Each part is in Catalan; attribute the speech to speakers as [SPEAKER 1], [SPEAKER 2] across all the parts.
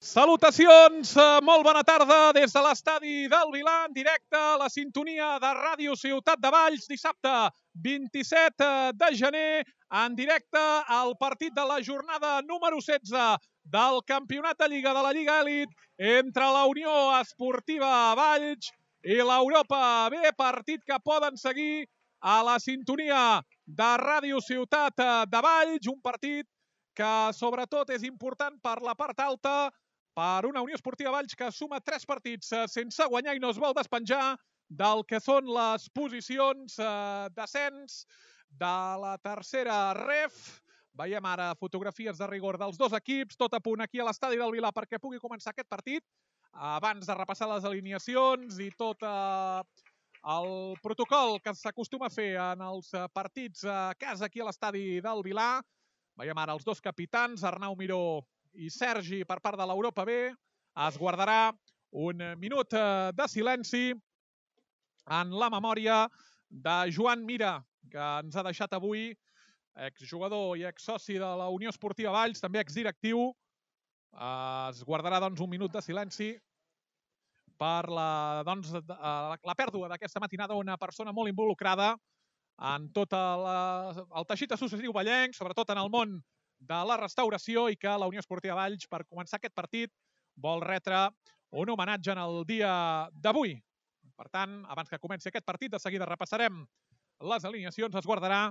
[SPEAKER 1] Salutacions, molt bona tarda des de l'estadi del Vilà, en directe a la sintonia de Ràdio Ciutat de Valls, dissabte 27 de gener, en directe al partit de la jornada número 16 del Campionat de Lliga de la Lliga Elit entre la Unió Esportiva Valls i l'Europa B, partit que poden seguir a la sintonia de Ràdio Ciutat de Valls, un partit que sobretot és important per la part alta, per una Unió Esportiva Valls que suma 3 partits sense guanyar i no es vol despenjar del que són les posicions d'ascens de la tercera ref. Veiem ara fotografies de rigor dels dos equips, tot a punt aquí a l'estadi del Vilà perquè pugui començar aquest partit. Abans de repassar les alineacions i tot el protocol que s'acostuma a fer en els partits a casa aquí a l'estadi del Vilà, veiem ara els dos capitans, Arnau Miró i Sergi, per part de l'Europa B. Es guardarà un minut de silenci en la memòria de Joan Mira, que ens ha deixat avui, exjugador i exsoci de la Unió Esportiva Valls, també exdirectiu. Es guardarà doncs, un minut de silenci per la pèrdua d'aquesta matinada una persona molt involucrada en tot el teixit associatiu vallenc, sobretot en el món de la restauració, i que la Unió Esportiva Valls, per començar aquest partit, vol retre un homenatge en el dia d'avui. Per tant, abans que comenci aquest partit, de seguida repassarem les alineacions, es guardarà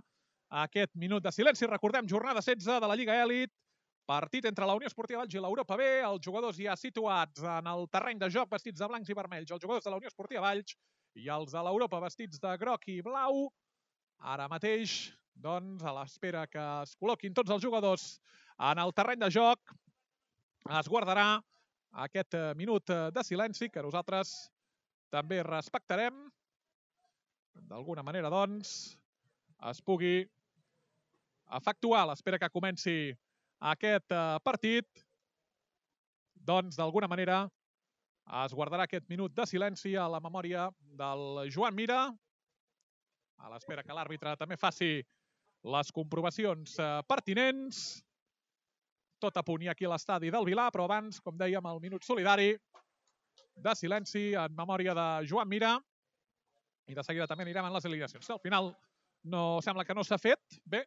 [SPEAKER 1] aquest minut de silenci. Recordem, jornada 16 de la Lliga Elit, partit entre la Unió Esportiva Valls i l'Europa B, els jugadors ja situats en el terreny de joc vestits de blancs i vermells, els jugadors de la Unió Esportiva Valls i els de l'Europa vestits de groc i blau. Ara mateix, doncs, a l'espera que es col·loquin tots els jugadors en el terreny de joc, es guardarà aquest minut de silenci que nosaltres també respectarem. D'alguna manera, doncs, es pugui efectuar a l'espera que comenci aquest partit. Doncs, d'alguna manera, es guardarà aquest minut de silenci a la memòria del Joan Mira, a l'espera que l'àrbitre també faci les comprovacions pertinents. Tot a punt i aquí a l'estadi del Vilà, però abans, com dèiem, el minut solidari de silenci en memòria de Joan Mira. I de seguida també anirem en les alineacions. Al final no sembla que no s'ha fet. Bé,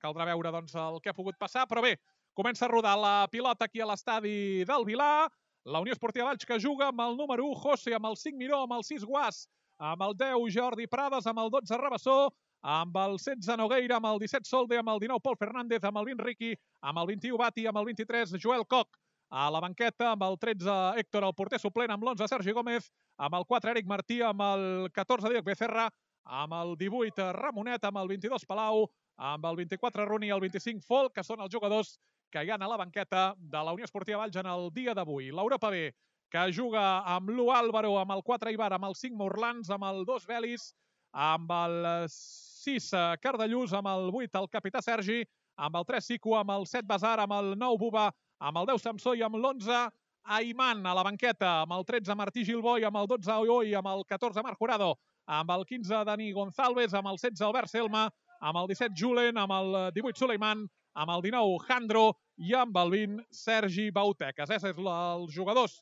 [SPEAKER 1] caldrà veure doncs, el que ha pogut passar, però bé, comença a rodar la pilota aquí a l'estadi del Vilà. La Unió Esportiva Valls que juga amb el número 1, José, amb el 5, Miró, amb el 6, Guas, amb el 10, Jordi Prades, amb el 12, Rabassó, amb el 16, Nogueira, amb el 17, Solde, amb el 19, Pol Fernández, amb el 20, Riqui, amb el 21, Bati, amb el 23, Joel Coc, a la banqueta, amb el 13, Héctor, el porter suplent, amb l'11, Sergi Gómez, amb el 4, Eric Martí, amb el 14, Diego Becerra, amb el 18, Ramonet, amb el 22, Palau, amb el 24, Runi i el 25, Folk, que són els jugadors que hi ha a la banqueta de la Unió Esportiva Valls en el dia d'avui. L'Europa B, que juga amb l'1 Álvaro, amb el 4 Ibar, amb el 5 Morlans, amb el 2 Belis, amb el 6 Cardellús, amb el 8 el capità Sergi, amb el 3 Sico, amb el 7 Basar, amb el 9 Buba, amb el 10 Samsó i amb l'11 Ayman a la banqueta, amb el 13 Martí Gilboi, amb el 12 Oi, amb el 14 Marc Jurado, amb el 15 Dani González, amb el 16 Albert Selma, amb el 17 Julen, amb el 18 Suleiman, amb el 19 Jandro i amb el 20 Sergi Bauteques. Aquests són els jugadors,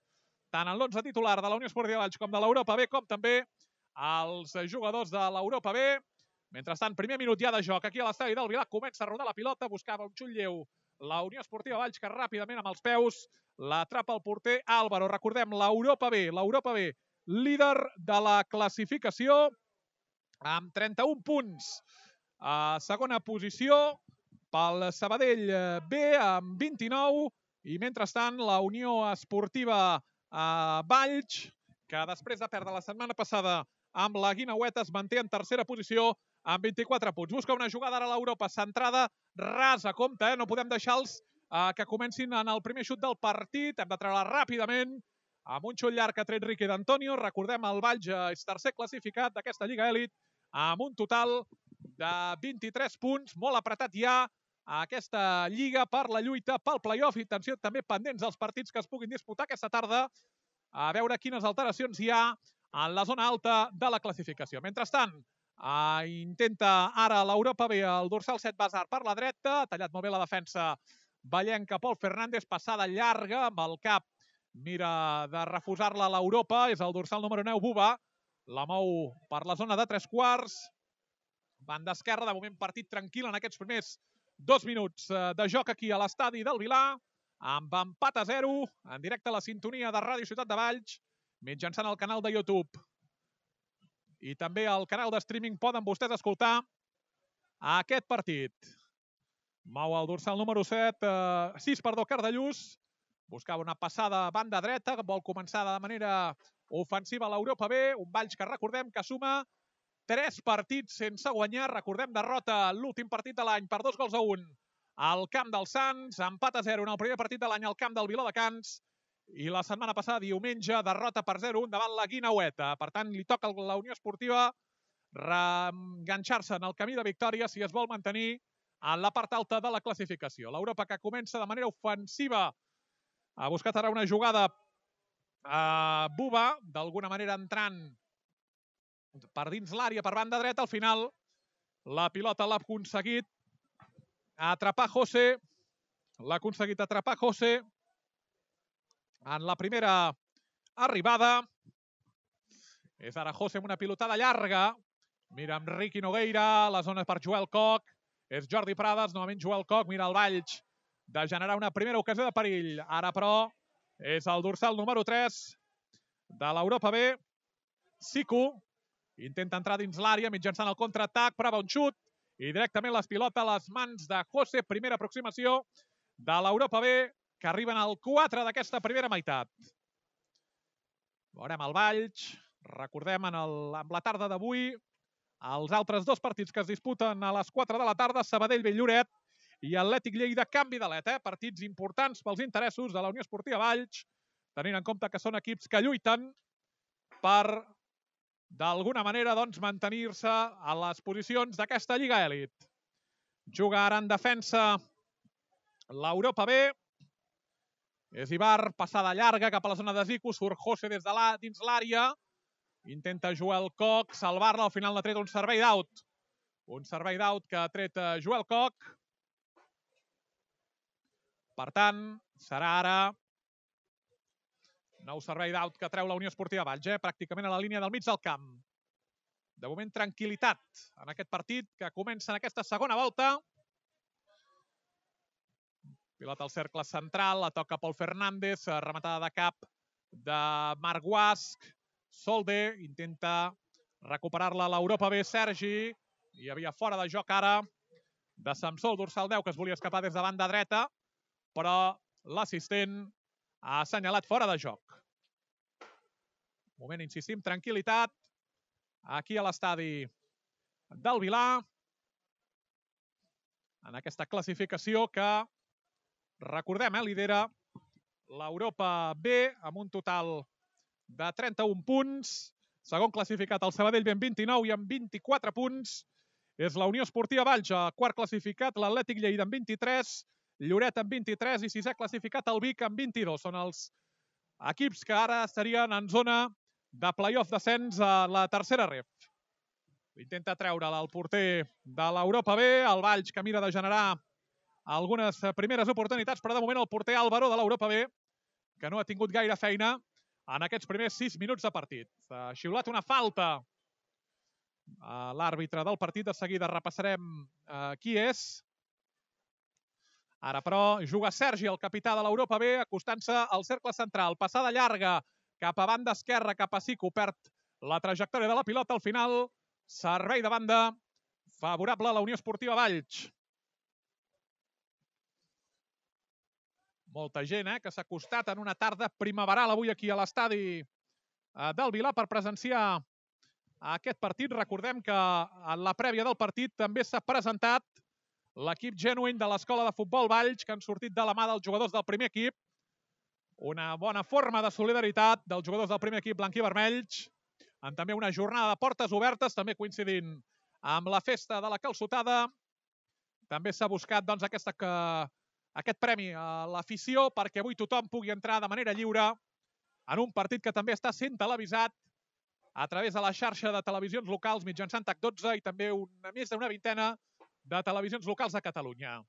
[SPEAKER 1] tant en l'11 titular de la Unió Esportiva Valls com de l'Europa B, com també els jugadors de l'Europa B. Mentrestant, primer minut ja de joc aquí a l'estadi del Vilà, comença a rodar la pilota, buscava un xull lleu la Unió Esportiva Valls, que ràpidament amb els peus l'atrapa el porter Álvaro. Recordem, l'Europa B, líder de la classificació amb 31 punts. A segona posició pel Sabadell B amb 29 i mentrestant la Unió Esportiva Valls, que després de perdre la setmana passada amb la Guinaueta es manté en tercera posició amb 24 punts. Busca una jugada ara a l'Europa, centrada, rasa, compte, no podem deixar-los que comencin en el primer xut del partit. Hem de treure ràpidament amb un xut llarg que ha tret Riqui d'Antonio. Recordem, el Valls és tercer classificat d'aquesta Lliga Elit amb un total de 23 punts, molt apretat ja a aquesta Lliga per la lluita pel play-off, i atenció, també pendents dels partits que es puguin disputar aquesta tarda, a veure quines alteracions hi ha en la zona alta de la classificació. Mentrestant, intenta ara l'Europa B, el dorsal 7 Basar per la dreta, ha tallat molt bé la defensa vallenca Pol Fernández, passada llarga amb el cap mira de refusar-la a l'Europa, és el dorsal número 9, Buba, la mou per la zona de 3/4, banda esquerra, de moment partit tranquil en aquests primers 2 minuts de joc aquí a l'estadi del Vilar, amb empat a 0, en directe a la sintonia de Ràdio Ciutat de Valls, mitjançant el canal de YouTube i també al canal de streaming poden vostès escoltar aquest partit. Mou el dorsal número 6, Cardellús, buscava una passada a banda dreta, vol començar de manera ofensiva a l'Europa B, un Valls que recordem que suma 3 partits sense guanyar, recordem derrota l'últim partit de l'any per 2-1 al camp dels Sants, empat a 0 en el primer partit de l'any al camp del Viladecans, i la setmana passada, diumenge, derrota per 0-1 davant la Guineueta. Per tant, li toca a la Unió Esportiva reenganxar-se en el camí de victòria si es vol mantenir en la part alta de la classificació. L'Europa que comença de manera ofensiva ha buscat ara una jugada a Buba, d'alguna manera entrant per dins l'àrea per banda dreta. Al final la pilota l'ha aconseguit atrapar José, en la primera arribada. És ara José amb una pilotada llarga, mira amb Riqui Nogueira, la zona per Joel Coc, és Jordi Prades, novament Joel Coc, mira el Valls de generar una primera ocasió de perill. Ara, però, és el dorsal número 3 de l'Europa B, Siku, intenta entrar dins l'àrea mitjançant el contraatac, prova un xut, i directament les pilota a les mans de José, primera aproximació de l'Europa B, que arriben al 4 d'aquesta primera meitat. Veurem el Valls, recordem amb la tarda d'avui, els altres 2 partits que es disputen a les 4 de la tarda, Sabadell-Bell-Lloret i Atlètic Lleida Canvi d'Alet, partits importants pels interessos de la Unió Esportiva Valls, tenint en compte que són equips que lluiten per, d'alguna manera, doncs, mantenir-se a les posicions d'aquesta Lliga Èlit. Juga ara en defensa l'Europa B, és Ibar, passada llarga cap a la zona de Zico, surt José des de dins l'àrea, intenta Joel Coc salvar-la, al final n'ha tret un servei d'out. Un servei d'out que ha tret Joel Coc. Per tant, serà ara nou servei d'out que treu la Unió Esportiva Valls, pràcticament a la línia del mig del camp. De moment, tranquil·litat en aquest partit que comença en aquesta segona volta. Pilota al cercle central, la toca Pol Fernández, rematada de cap de Marc Guasc. Solde intenta recuperar-la a l'Europa B, Sergi. Hi havia fora de joc ara de Samsol, dorsal 10, que es volia escapar des de banda dreta, però l'assistent ha assenyalat fora de joc. Moment, insistim, tranquil·litat aquí a l'estadi del Vilar, en aquesta classificació que, recordem, lidera l'Europa B amb un total de 31 punts. Segon classificat el Sabadell B amb 29 i amb 24 punts. És la Unió Esportiva Valls, quart classificat, l'Atlètic Lleida amb 23, Lloret amb 23 i sisè classificat el Vic amb 22. Són els equips que ara estarien en zona de play-off descens a la tercera ref. Intenta treure'l el porter de l'Europa B, el Valls que mira de generar algunes primeres oportunitats, però de moment el porter Álvaro de l'Europa B, que no ha tingut gaire feina en aquests primers 6 minuts de partit. Ha xiulat una falta a l'àrbitre del partit, de seguida repassarem qui és. Ara, però, juga Sergi, el capità de l'Europa B, acostant-se al cercle central. Passada llarga cap a banda esquerra, cap a Sico, perd la trajectòria de la pilota. Al final, servei de banda favorable a la Unió Esportiva Valls. Molta gent que s'ha acostat en una tarda primaveral avui aquí a l'estadi del Vilar per presenciar aquest partit. Recordem que en la prèvia del partit també s'ha presentat l'equip Genuine de l'Escola de Futbol Valls, que han sortit de la mà dels jugadors del primer equip. Una bona forma de solidaritat dels jugadors del primer equip blanc i vermells, en també una jornada de portes obertes, també coincidint amb la festa de la calçotada. També s'ha buscat doncs, aquest premi a l'afició perquè avui tothom pugui entrar de manera lliure en un partit que també està sent televisat a través de la xarxa de televisions locals mitjançant TAC12 i també més d'una vintena de televisions locals a Catalunya.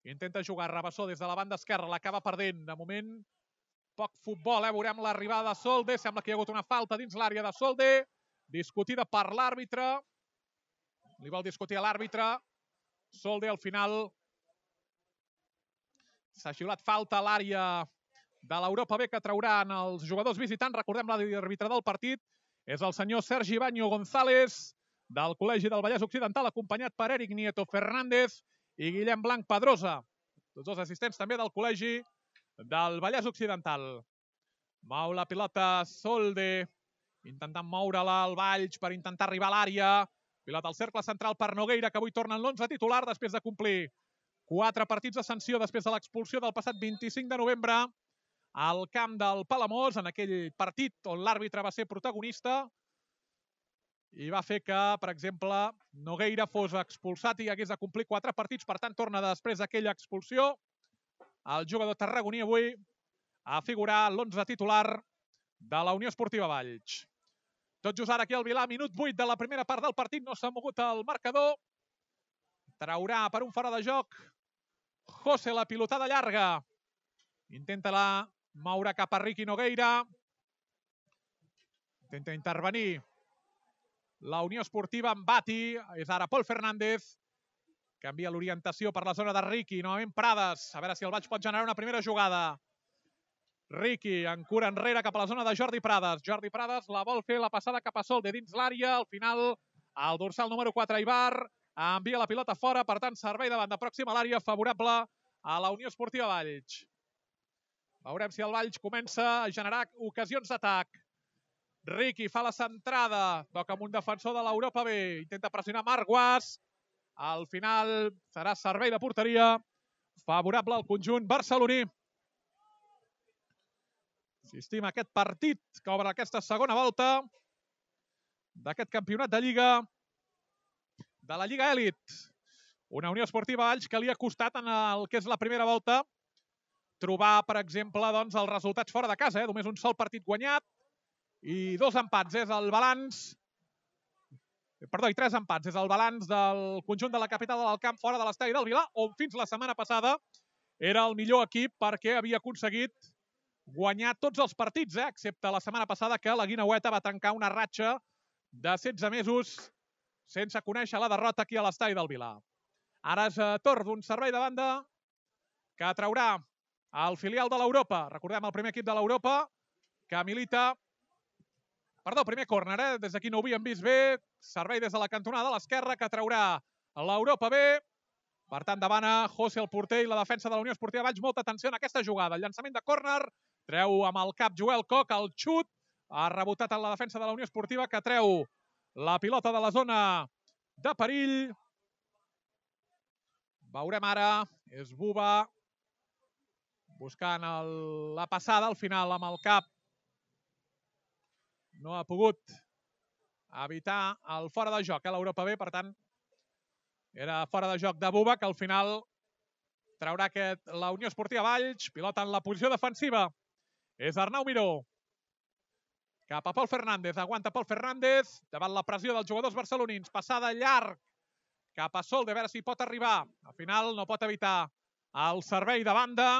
[SPEAKER 1] Intenta jugar Rabassó des de la banda esquerra, l'acaba perdent. De moment Poc futbol, veurem l'arribada de Solde. Sembla que hi ha hagut una falta dins l'àrea de Solde, discutida per l'àrbitre. Li vol discutir a l'àrbitre. Solde al final s'ha xiulat falta a l'àrea de l'Europa B que trauran els jugadors visitants. Recordem l'àrbitre del partit és el senyor Sergi Baño González, del Col·legi del Vallès Occidental, acompanyat per Eric Nieto Fernández i Guillem Blanc Pedrosa, tots dos assistents també del Col·legi del Vallès Occidental. Mou la pilota Solde, intentant moure-la al Valls per intentar arribar a l'àrea. Pilota al cercle central per Nogueira, que avui torna en l'11 titular després de complir 4 partits de sanció després de l'expulsió del passat 25 de novembre al camp del Palamós, en aquell partit on l'àrbitre va ser protagonista i va fer que, per exemple, Nogueira fos expulsat i hagués de complir 4 partits. Per tant, torna després d'aquella expulsió el jugador tarragoní avui a figurar l'11 titular de la Unió Esportiva Valls. Tot just ara aquí al Vilà, minut 8 de la primera part del partit, no s'ha mogut el marcador. Traurà per un fora de joc José la pilotada llarga. Intenta-la moure cap a Riqui Nogueira. Intenta intervenir la Unió Esportiva amb Bati. És ara Pol Fernández. Canvia l'orientació per la zona de Riqui. Novament Prades. A veure si el Valls pot generar una primera jugada. Riqui en cura enrere cap a la zona de Jordi Prades. Jordi Prades la vol fer la passada cap a Solde dins l'àrea. Al final, el dorsal número 4, Ibar, envia la pilota fora. Per tant, servei de banda pròxima a l'àrea, favorable a la Unió Esportiva Valls. Veurem si el Valls comença a generar ocasions d'atac. Riqui fa la centrada. Toca amb un defensor de l'Europa B. Intenta pressionar Marc Guas. Al final serà servei de porteria favorable al conjunt barceloní. Assistim a aquest partit que obre aquesta segona volta d'aquest campionat de Lliga, de la Lliga Elit. Una Unió Esportiva Valls que li ha costat en el que és la primera volta trobar, per exemple, doncs, els resultats fora de casa. Només un sol partit guanyat i 2 empats. És el balanç... Perdó, i 3 empats. És el balanç del conjunt de la capital del camp fora de l'estadi del Vilà, on fins la setmana passada era el millor equip perquè havia aconseguit guanyar tots els partits, excepte la setmana passada que la Guineueta va tancar una ratxa de 16 mesos sense conèixer la derrota aquí a l'estadi del Vilà. Ara és torn d'un servei de banda que traurà el filial de l'Europa. Recordem el primer equip de l'Europa que milita... Perdó, primer córner, des d'aquí no ho havíem vist bé. Servei des de la cantonada de l'esquerra que traurà l'Europa B. Per tant, davant José el porter i la defensa de la Unió Esportiva Valls. Molta atenció en aquesta jugada. El llançament de córner, treu amb el cap Joel Koch, el xut. Ha rebotat en la defensa de la Unió Esportiva que treu la pilota de la zona de perill. Veurem ara, és Buba buscant la passada al final amb el cap. No ha pogut evitar el fora de joc a l'Europa B, per tant, era fora de joc de Buba, que al final traurà la Unió Esportiva Valls. Pilota en la posició defensiva. És Arnau Miró. Cap a Pol Fernández. Aguanta Pol Fernández davant la pressió dels jugadors barcelonins. Passada llarg cap a Solde, a veure si pot arribar. Al final no pot evitar el servei de banda.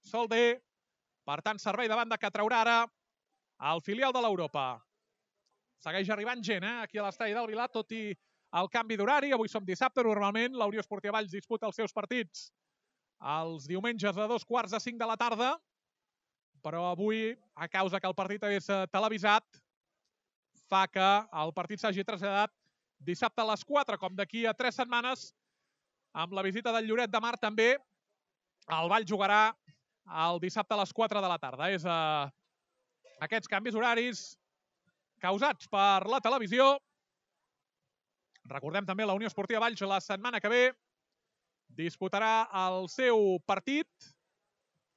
[SPEAKER 1] Solde. Per tant, servei de banda que traurà ara el filial de l'Europa. Segueix arribant gent aquí a l'estadi del Vilà, tot i el canvi d'horari. Avui som dissabte. Normalment la Unió Esportiva Valls disputa els seus partits els diumenges a 2:45 de la tarda. Però avui, a causa que el partit és televisat, fa que el partit s'hagi traslladat dissabte a les 4, com d'aquí a 3 setmanes, amb la visita del Lloret de Mar també, el Valls jugarà el dissabte a les 4 de la tarda. És aquests canvis horaris causats per la televisió. Recordem també la Unió Esportiva Valls la setmana que ve disputarà el seu partit.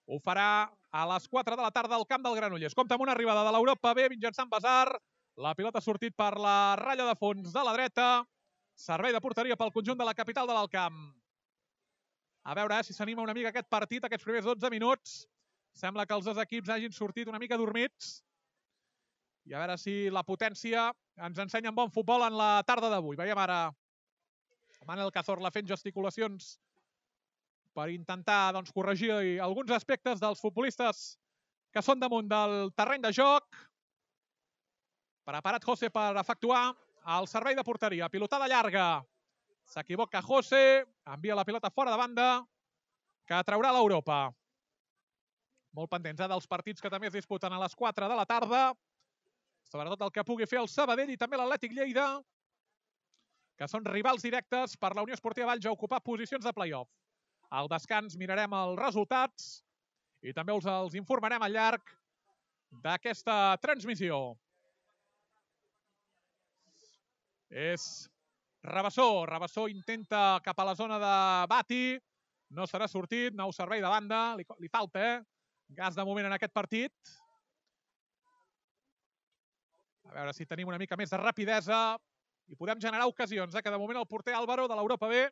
[SPEAKER 1] Ho farà a les 4 de la tarda al camp del Granollers. Compte amb una arribada de l'Europa B mitjançant Basar. La pilota ha sortit per la ratlla de fons de la dreta. Servei de porteria pel conjunt de la capital de l'Alt Camp. A veure si s'anima una mica aquest partit, aquests primers 12 minuts. Sembla que els dos equips hagin sortit una mica dormits. I a veure si la potència ens ensenya un bon futbol en la tarda d'avui. Veiem ara Manel Cazorla fent gesticulacions per intentar corregir alguns aspectes dels futbolistes que són damunt del terreny de joc. Preparat José per efectuar el servei de porteria. Pilotada llarga. S'equivoca José, envia la pilota fora de banda, que traurà l'Europa. Molt pendents dels partits que també es disputen a les 4 de la tarda, sobretot el que pugui fer el Sabadell i també l'Atlètic Lleida, que són rivals directes per la Unió Esportiva Valls a ocupar posicions de play-off. Al descans mirarem els resultats i també els informarem al llarg d'aquesta transmissió. És Rabassó. Rabassó intenta cap a la zona de Bati. No serà sortit. Nou servei de banda. Li falta, gas de moment en aquest partit. A veure si tenim una mica més de rapidesa i podem generar ocasions, que de moment el porter Álvaro de l'Europa B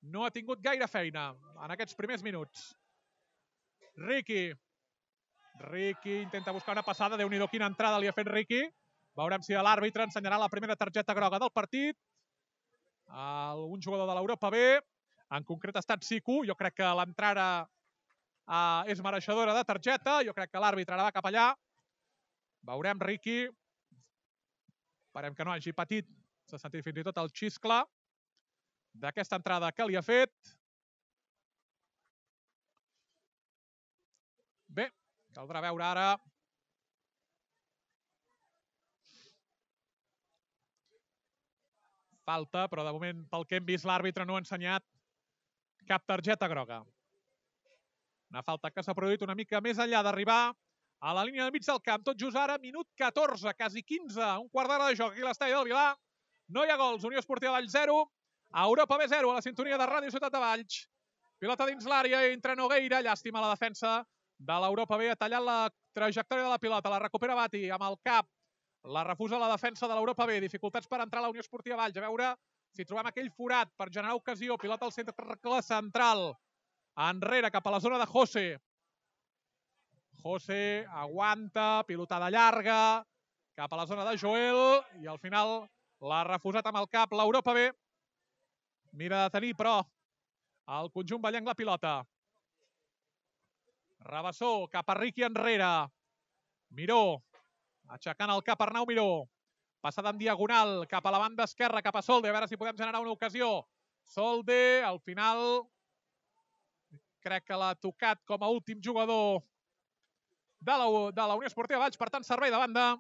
[SPEAKER 1] no ha tingut gaire feina en aquests primers minuts. Riqui intenta buscar una passada. Déu-n'hi-do quina entrada li ha fet Riqui. Veurem si l'àrbitre ensenyarà la primera targeta groga del partit. Un jugador de l'Europa B, en concret ha estat Siku. Jo crec que l'entrada és mereixedora de targeta. Jo crec que l'àrbitre ara va cap allà. Veurem Riqui. Esperem que no hagi patit. S'ha sentit fins i tot el xiscle d'aquesta entrada que li ha fet. Bé, caldrà veure ara. Falta, però de moment, pel que hem vist, l'àrbitre no ha ensenyat cap targeta groga. Una falta que s'ha produït una mica més enllà d'arribar a la línia de mig del camp. Tot just ara, minut 14, quasi 15, un quart d'hora de joc aquí a l'estadi del Vilar. No hi ha gols. Unió Esportiva Valls 0, Europa B 0, a la sintonia de Ràdio Ciutat de Valls. Pilota dins l'àrea, entra Nogueira, llàstima la defensa de l'Europa B, ha tallat la trajectòria de la pilota, la recupera Bati amb el cap. La refusa la defensa de l'Europa B. Dificultats per entrar a la Unió Esportiva Valls. A veure si trobem aquell forat per generar ocasió. Pilota al centre central. Enrere, cap a la zona de José. José aguanta. Pilotada llarga. Cap a la zona de Joel. I al final l'ha refusat amb el cap l'Europa B. Mira de tenir, però, el conjunt ballenc la pilota. Rabassó, cap a Riqui enrere. Miró. Aixecant el cap Arnau Miró. Passada en diagonal cap a la banda esquerra, cap a Solde. A veure si podem generar una ocasió. Solde, al final, crec que l'ha tocat com a últim jugador de la Unió Esportiva Valls. Per tant, servei de banda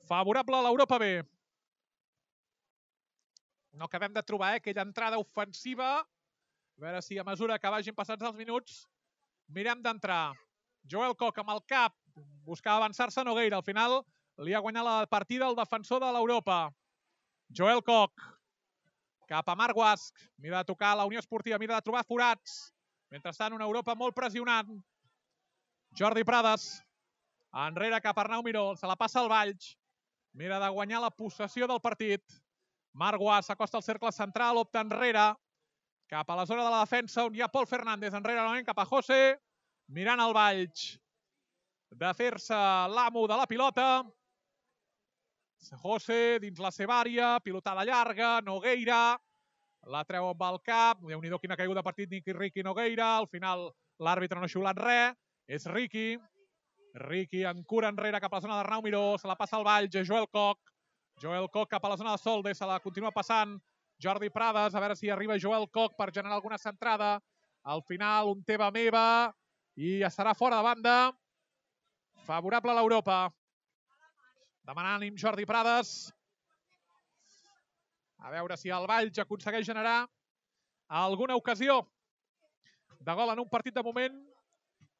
[SPEAKER 1] favorable a l'Europa B. No acabem de trobar aquella entrada ofensiva. A veure si a mesura que vagin passats els minuts mirem d'entrar. Joel Koch amb el cap. Buscava avançar-se Nogueira. Al final li ha guanyat la partida el defensor de l'Europa. Joel Koch. Cap a Marc Guasc. Mira de tocar la Unió Esportiva. Mira de trobar forats. Mentrestant, una Europa molt pressionant. Jordi Prades. Enrere cap a Arnau Miró. Se la passa al Valls. Mira de guanyar la possessió del partit. Marc Guasc s'acosta al cercle central. Opta enrere. Cap a la zona de la defensa on hi ha Pol Fernández. Enrere novament cap a José. Mirant el Valls de fer-se l'amo de la pilota. José dins la seva àrea, pilotada llarga, Nogueira, la treu amb el cap. Déu-n'hi-do quina caiguda de partit Riqui Nogueira. Al final l'àrbitre no ha xiulat res. És Riqui. Riqui en cura enrere cap a la zona d'Arnau Miró. Se la passa al Valls, Joel Koch. Joel Koch cap a la zona de Solde. Se la continua passant Jordi Prades. A veure si arriba Joel Koch per generar alguna centrada. Al final un teva meva i serà fora de banda. Favorable a l'Europa. Demanant ànim Jordi Prades. A veure si el Valls aconsegueix generar alguna ocasió de gol en un partit de moment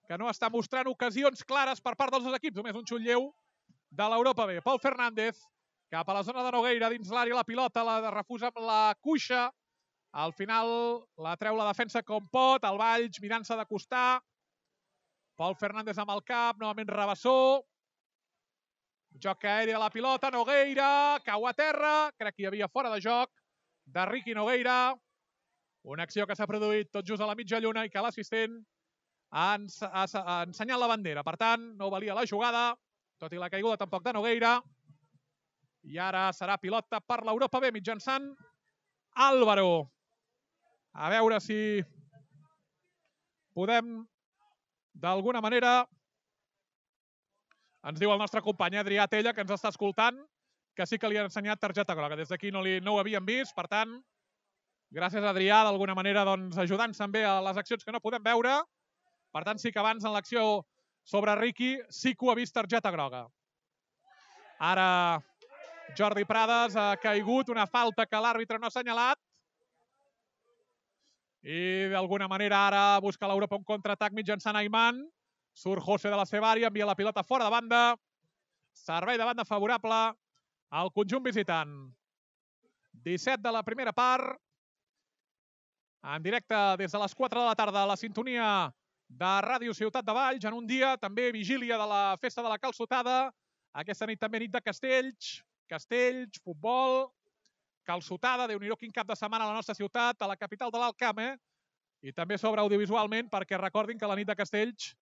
[SPEAKER 1] que no està mostrant ocasions clares per part dels dos equips. Només un xut lleu de l'Europa B. Pol Fernández cap a la zona de Nogueira, dins l'àrea la pilota, la refusa amb la cuixa. Al final la treu la defensa com pot. El Valls mirant-se de costar. Pol Fernández amb el cap, novament Rabassó. Joc aeri a la pilota, Nogueira, cau a terra. Crec que hi havia fora de joc de Riqui Nogueira. Una acció que s'ha produït tot just a la mitja lluna i que l'assistent ha ensenyat la bandera. Per tant, no valia la jugada, tot i la caiguda tampoc de Nogueira. I ara serà pilota per l'Europa B mitjançant Álvaro. A veure si podem d'alguna manera Ens diu el nostre company Adrià Tella, que ens està escoltant, que sí que li han ensenyat targeta groga. Des d'aquí no ho havíem vist, per tant, gràcies a Adrià, d'alguna manera, doncs, ajudant-se també a les accions que no podem veure. Per tant, sí que abans en l'acció sobre Riqui sí que ho ha vist targeta groga. Ara Jordi Prades ha caigut, una falta que l'àrbitre no ha assenyalat. I d'alguna manera ara busca l'Europa un contraatac mitjançant Ayman. Surt José de la seva àrea, envia la pilota fora de banda. Servei de banda favorable al conjunt visitant. 17 de la primera part. En directe des de les 4 de la tarda a la sintonia de Ràdio Ciutat de Valls, en un dia també vigília de la Festa de la Calçotada. Aquesta nit també nit de castells, futbol, calçotada, Déu-n'hi-do quin cap de setmana a la nostra ciutat, a la capital de l'Alt Camp, i també sobre audiovisualment, perquè recordin que la nit de castells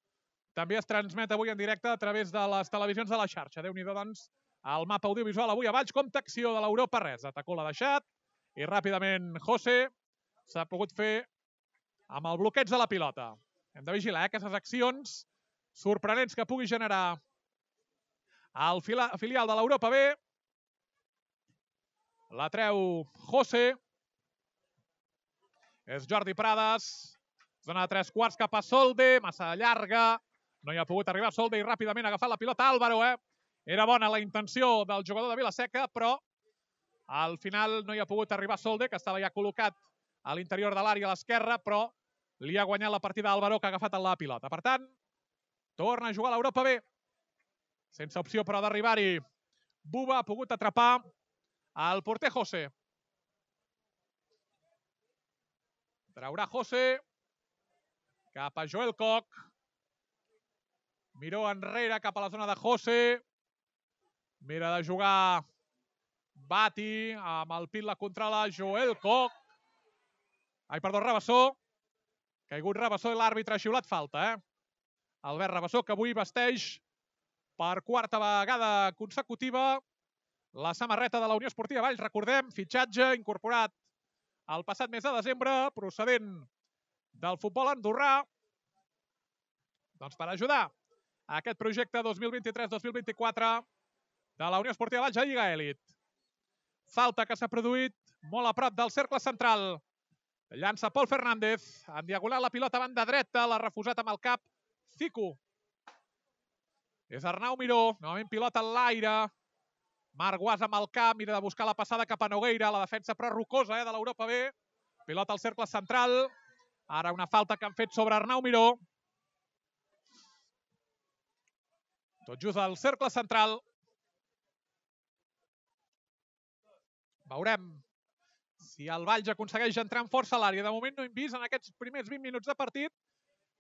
[SPEAKER 1] també es transmet avui en directe a través de les televisions de la xarxa. Déu-n'hi-do, doncs, el mapa audiovisual avui a Valls, compta acció de l'Europa res. Atacó l'ha deixat i ràpidament José s'ha pogut fer amb el bloqueig de la pilota. Hem de vigilar aquestes accions sorprenents que pugui generar el filial de l'Europa B. La treu José. És Jordi Prades. Zona de 3/4 cap a Solde. Massa llarga. No hi ha pogut arribar Solde i ràpidament ha agafat la pilota Álvaro. Era bona la intenció del jugador de Vilaseca, però al final no hi ha pogut arribar Solde, que estava ja col·locat a l'interior de l'àrea a l'esquerra, però li ha guanyat la partida Álvaro, que ha agafat la pilota. Per tant, torna a jugar l'Europa B. Sense opció, però, d'arribar-hi. Buba ha pogut atrapar el porter José. Traurà José cap a Joel Koch. Miró enrere cap a la zona de José. Mira de jugar Bati amb el pit la controla Joel Koch. Rabassó. Caigut Rabassó i l'àrbitre ha xiulat falta. Albert Rabassó, que avui vesteix per quarta vegada consecutiva la samarreta de la Unió Esportiva Valls. Recordem, fitxatge incorporat el passat mes de desembre, procedent del futbol andorrà, doncs per ajudar a aquest projecte 2023-2024 de la Unió Esportiva Valls a Lliga Elit. Falta que s'ha produït molt a prop del cercle central. Llança Pol Fernández, en diagonal la pilota a banda dreta, l'ha refusat amb el cap Fico. És Arnau Miró, novament pilota en l'aire. Marc Guas amb el cap, mira de buscar la passada cap a Nogueira, la defensa però rocosa de l'Europa B. Pilota al cercle central. Ara una falta que han fet sobre Arnau Miró. Tot just al cercle central. Veurem si el Valls aconsegueix entrar amb força a l'àrea. De moment no hem vist en aquests primers 20 minuts de partit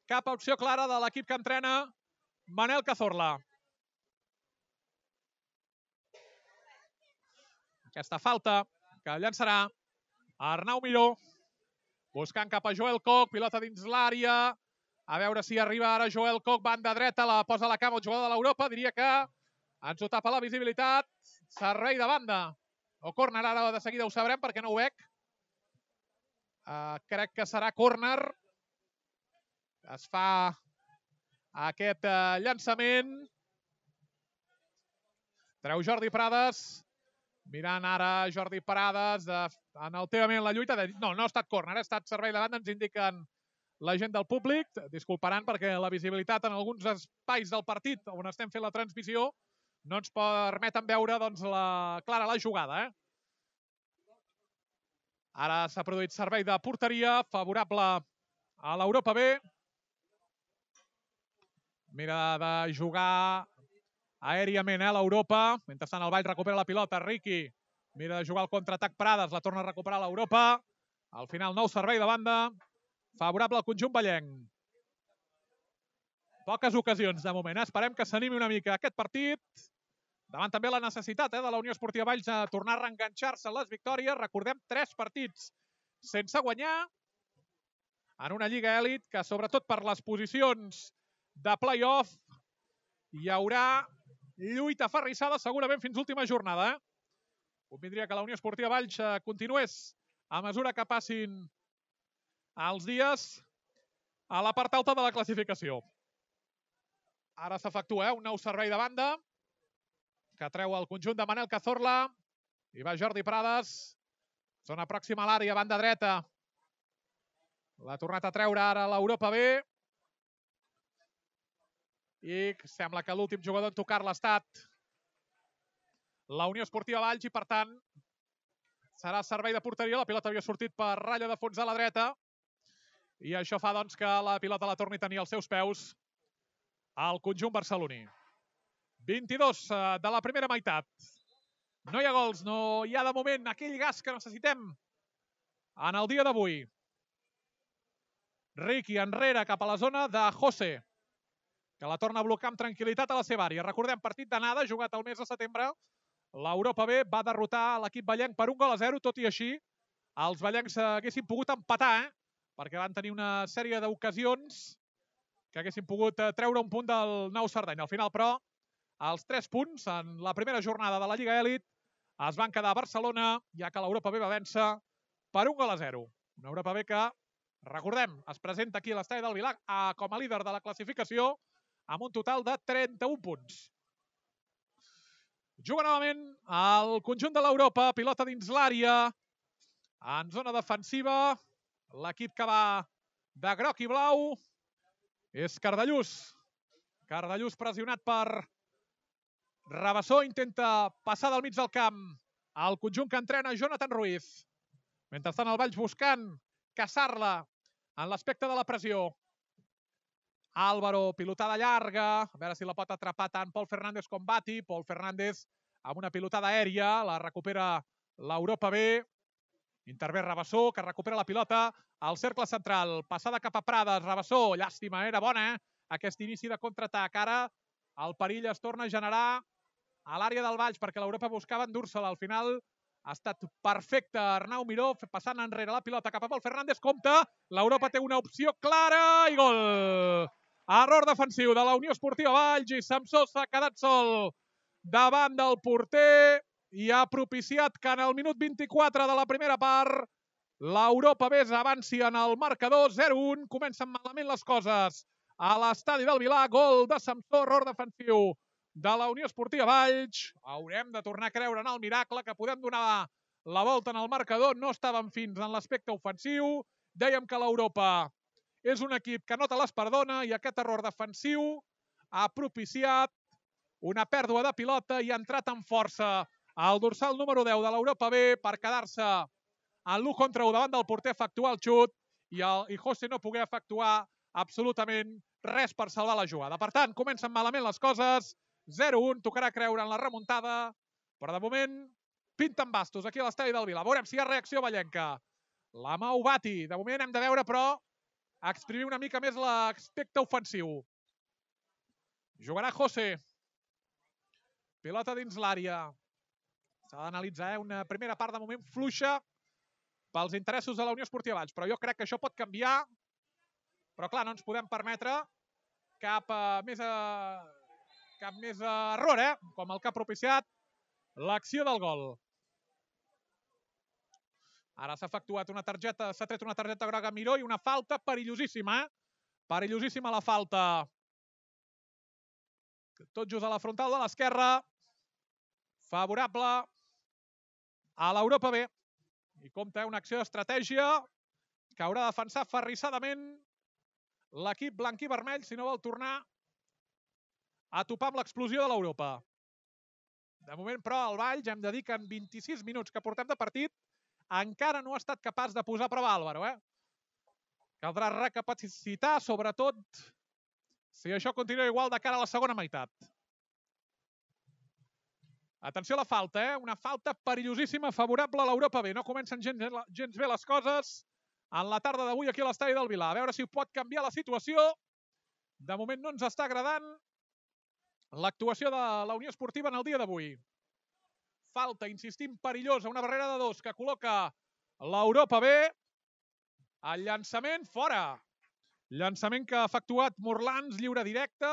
[SPEAKER 1] cap opció clara de l'equip que entrena Manel Cazorla. Aquesta falta que llançarà Arnau Miró, buscant cap a Joel Koch, pilota dins l'àrea. A veure si arriba ara Joel Koch, banda dreta, la posa a la cama el jugador de l'Europa. Diria que ens ho tapa la visibilitat. Servei de banda. O córner, ara de seguida ho sabrem perquè no ho veig. Crec que serà córner. Es fa aquest llançament. Treu Jordi Prades. Mirant ara Jordi Prades enaltevament la lluita. No ha estat córner, ha estat servei de banda, ens indiquen la gent del públic. Disculparan perquè la visibilitat en alguns espais del partit on estem fent la transmissió no ens permeten veure clara la jugada. Ara s'ha produït servei de porteria favorable a l'Europa B. Mira de jugar aèriament l'Europa. Mentrestant el Valls recupera la pilota. Riqui mira de jugar el contraatac Prades. La torna a recuperar l'Europa. Al final nou servei de banda favorable al conjunt vallenc. Poques ocasions de moment. Esperem que s'animi una mica aquest partit. Davant també la necessitat de la Unió Esportiva Valls a tornar a reenganxar-se en les victòries. Recordem, 3 partits sense guanyar en una Lliga Elit que, sobretot per les posicions de play-off, hi haurà lluita aferrissada segurament fins l'última jornada. Convindria que la Unió Esportiva Valls continués a mesura que passin els dies a la part alta de la classificació. Ara s'efectua un nou servei de banda que treu el conjunt de Manel Cazorla i va Jordi Prades. Zona pròxima a l'àrea, banda dreta. L'ha tornat a treure ara l'Europa B. I sembla que l'últim jugador en tocar-la ha estat la Unió Esportiva Valls i, per tant, serà servei de porteria. La pilota havia sortit per ratlla de fons a la dreta i això fa doncs, que la pilota la torni a tenir als seus peus al conjunt barceloní. 22 de la primera meitat. No hi ha gols, no hi ha de moment aquell gas que necessitem en el dia d'avui. Riqui enrere cap a la zona de José, que la torna a blocar amb tranquil·litat a la seva àrea. Recordem, partit d'anada, jugat el mes de setembre. L'Europa B va derrotar l'equip ballenc per 1-0, tot i així els ballencs haguessin pogut empatar, perquè van tenir una sèrie d'ocasions que haguessin pogut treure un punt del Nou Cerdanya. Al final, però, els 3 punts en la primera jornada de la Lliga Elit es van quedar a Barcelona, ja que l'Europa B va vèncer per 1-0. Una Europa B que, recordem, es presenta aquí a l'estadi del Vilar com a líder de la classificació amb un total de 31 punts. Juga novament el conjunt de l'Europa, pilota dins l'àrea, en zona defensiva. L'equip que va de groc i blau és Cardellús. Cardellús pressionat per Rabassó, intenta passar del mig del camp al conjunt que entrena Jonathan Ruiz. Mentrestant el Valls buscant caçar-la en l'aspecte de la pressió. Álvaro, pilotada llarga, a veure si la pot atrapar tant Pol Fernández com Bati. Pol Fernández amb una pilotada aèria, la recupera l'Europa B. Intervé Rabassó, que recupera la pilota al cercle central. Passada cap a Prades, Rabassó, llàstima, era bona, aquest inici de contraatac. Ara el perill es torna a generar a l'àrea del Valls, perquè l'Europa buscava endur-se-la. Al final ha estat perfecte Arnau Miró, passant enrere la pilota cap a Pol Fernández. Compte, l'Europa té una opció clara i gol! Error defensiu de la Unió Esportiva Valls i Samsó s'ha quedat sol davant del porter i ha propiciat que en el minut 24 de la primera part l'Europa B avanci en el marcador 0-1. Comencen malament les coses a l'estadi del Vilar. Gol de Samsó, error defensiu de la Unió Esportiva Valls. Haurem de tornar a creure en el miracle que podem donar la volta en el marcador. No estàvem fins en l'aspecte ofensiu. Dèiem que l'Europa és un equip que no te les perdona i aquest error defensiu ha propiciat una pèrdua de pilota i ha entrat amb força al dorsal número 10 de l'Europa B per quedar-se en l'1 contra 1 davant del porter, efectuar el xut i José no pogué efectuar absolutament res per salvar la jugada. Per tant, comencen malament les coses. 0-1, tocarà creure en la remuntada, però de moment pinten bastos aquí a l'estadi del Vilar. Veurem si hi ha reacció ballenca. La mou Bati. De moment hem de veure, però, exprimir una mica més l'aspecte ofensiu. Jugarà José. Pilota dins l'àrea. S'ha d'analitzar, una primera part de moment fluixa pels interessos de la Unió Esportiva Valls, però jo crec que això pot canviar. Però clar, no ens podem permetre cap més error, com el que ha propiciat l'acció del gol. Ara s'ha efectuat una targeta, s'ha tret una targeta groga a Miró i una falta perillosíssima. Perillosíssima la falta. Tot just a la frontal de l'esquerra. Favorable a l'Europa B. I compta una acció d'estratègia que haurà de defensar aferrissadament l'equip blanc i vermell si no vol tornar a topar amb l'explosió de l'Europa. De moment, però, el Valls, hem de dir que en 26 minuts que portem de partit encara no ha estat capaç de posar a prova Álvaro. Caldrà recapacitar, sobretot, si això continua igual de cara a la segona meitat. Atenció a la falta, una falta perillosíssima favorable a l'Europa B. No comencen gens bé les coses en la tarda d'avui aquí a l'estadi del Vilar. A veure si pot canviar la situació. De moment no ens està agradant l'actuació de la Unió Esportiva en el dia d'avui. Falta, insistim, perillosa, una barrera de 2 que col·loca l'Europa B. El llançament fora. Llançament que ha efectuat Morlans, lliure directe.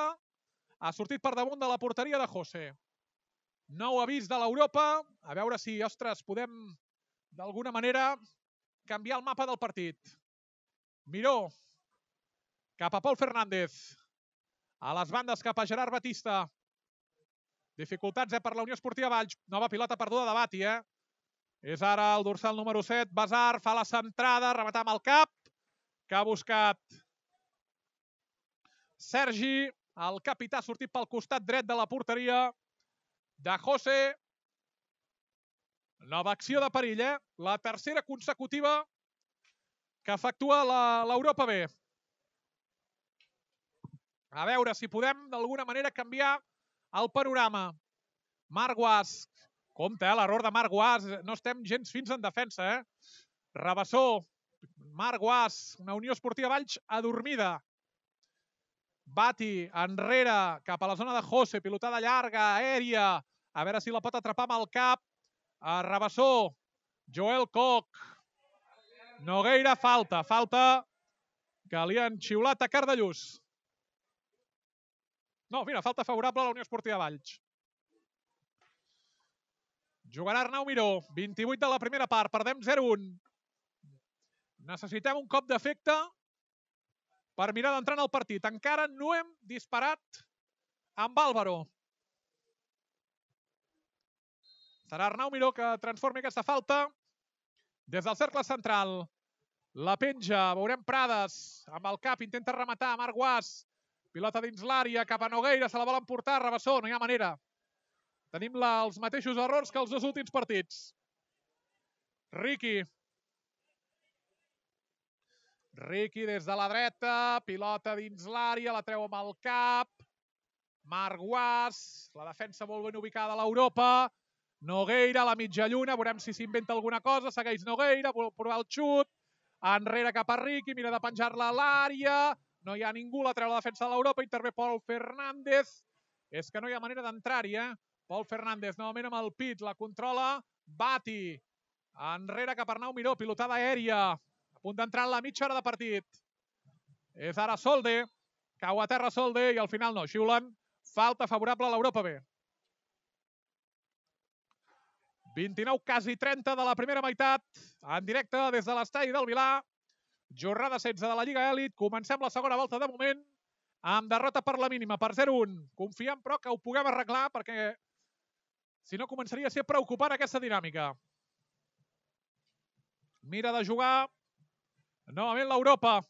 [SPEAKER 1] Ha sortit per damunt de la porteria de José. Nou avís de l'Europa. A veure si, ostres, podem d'alguna manera canviar el mapa del partit. Miró cap a Pol Fernández. A les bandes cap a Gerard Batista. Dificultats per la Unió Esportiva Valls. Nova pilota perduda de Bati, És ara el dorsal número 7. Basar fa la centrada, rematar amb el cap, que ha buscat Sergi. El capità ha sortit pel costat dret de la porteria de José. Nova acció de perill, La tercera consecutiva que efectua l'Europa B. A veure si podem d'alguna manera canviar el panorama. Marc Guas. Compte, l'error de Marc Guas. No estem gens fins en defensa, Rabassó. Marc Guas. Una Unió Esportiva Valls adormida. Bati enrere cap a la zona de José. Pilotada llarga, aèria. A veure si la pot atrapar amb el cap. Rabassó. Joel Koch. Nogueira, falta. Falta que li han xiulat a Cardellús. No, mira, falta favorable a la Unió Esportiva Valls. Jugarà Arnau Miró. 28 de la primera part. Perdem 0-1. Necessitem un cop d'efecte per mirar d'entrar en el partit. Encara no hem disparat amb Álvaro. Serà Arnau Miró que transformi aquesta falta. Des del cercle central. La penja. Veurem Prades. Amb el cap intenta rematar. Marc Guas. Pilota dins l'àrea. Cap a Nogueira. Se la vol emportar. Rabassó. No hi ha manera. Tenim els mateixos errors que els dos últims partits. Riqui. Riqui des de la dreta. Pilota dins l'àrea. La treu amb el cap. Marc Guas. La defensa molt ben ubicada a l'Europa. Nogueira a la mitja lluna. Veurem si s'inventa alguna cosa. Segueix Nogueira. Vol provar el xut. Enrere cap a Riqui. Mira de penjar-la a l'àrea. No hi ha ningú. La treu la defensa de l'Europa. Intervé Pol Fernández. És que no hi ha manera d'entrar-hi, Pol Fernández, novament amb el pit, la controla Bati. Enrere cap a Arnau Miró, pilotada aèria. A punt d'entrar en la mitja hora de partit. És ara Solde. Cau a terra Solde i al final no. Xiulen. Falta favorable a l'Europa B. 29, quasi 30 de la primera meitat. En directe des de l'estadi del Vilà. Jornada 16 de la Lliga Elit. Comencem la segona volta de moment amb derrota per la mínima, per 0-1. Confiem, però, que ho puguem arreglar perquè si no, començaria a ser preocupant aquesta dinàmica. Mira de jugar novament l'Europa.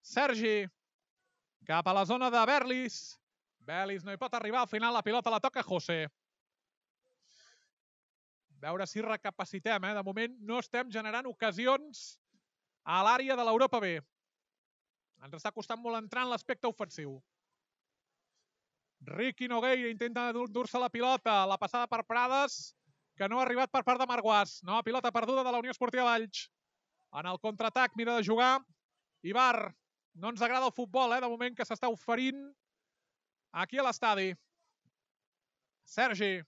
[SPEAKER 1] Sergi cap a la zona de Berlis. Berlis no hi pot arribar. Al final la pilota la toca José. Veure si recapacitem. De moment no estem generant ocasions a l'àrea de l'Europa B. Ens està costant molt entrar en l'aspecte ofensiu. Riqui Nogueira intenta endur-se la pilota. La passada per Prades, que no ha arribat per part de Marc Guas. Nova pilota perduda de la Unió Esportiva Valls. En el contraatac mira de jugar Ibar. No ens agrada el futbol, de moment, que s'està oferint aquí a l'estadi. Sergi.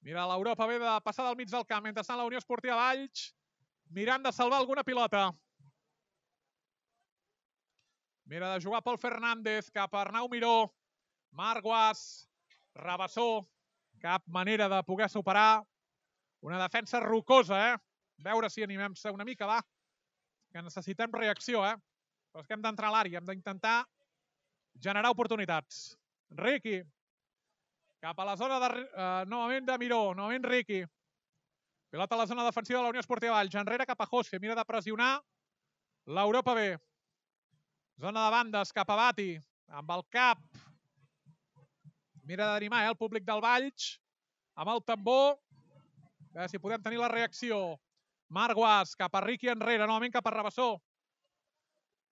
[SPEAKER 1] Mira l'Europa ve de passar del mig del camp. Mentrestant la Unió Esportiva Valls mirant de salvar alguna pilota. Mira de jugar Pol Fernández cap a Arnau Miró. Marc Guas. Rabassó. Cap manera de poder superar. Una defensa rocosa, Veure si animem-se una mica, va. Que necessitem reacció, Però és que hem d'entrar a l'àrea. Hem d'intentar generar oportunitats. Riqui. Cap a la zona novament de Miró. Novament Riqui. Pilota a la zona defensiva de la Unió Esportiva Valls. Enrere cap a José. Mira de pressionar l'Europa B. Zona de bandes cap a Bati. Amb el cap. Mira d'animar el públic del Valls. Amb el tambor. A veure si podem tenir la reacció. Marc Guas cap a Riqui enrere. Novament cap a Rabassó.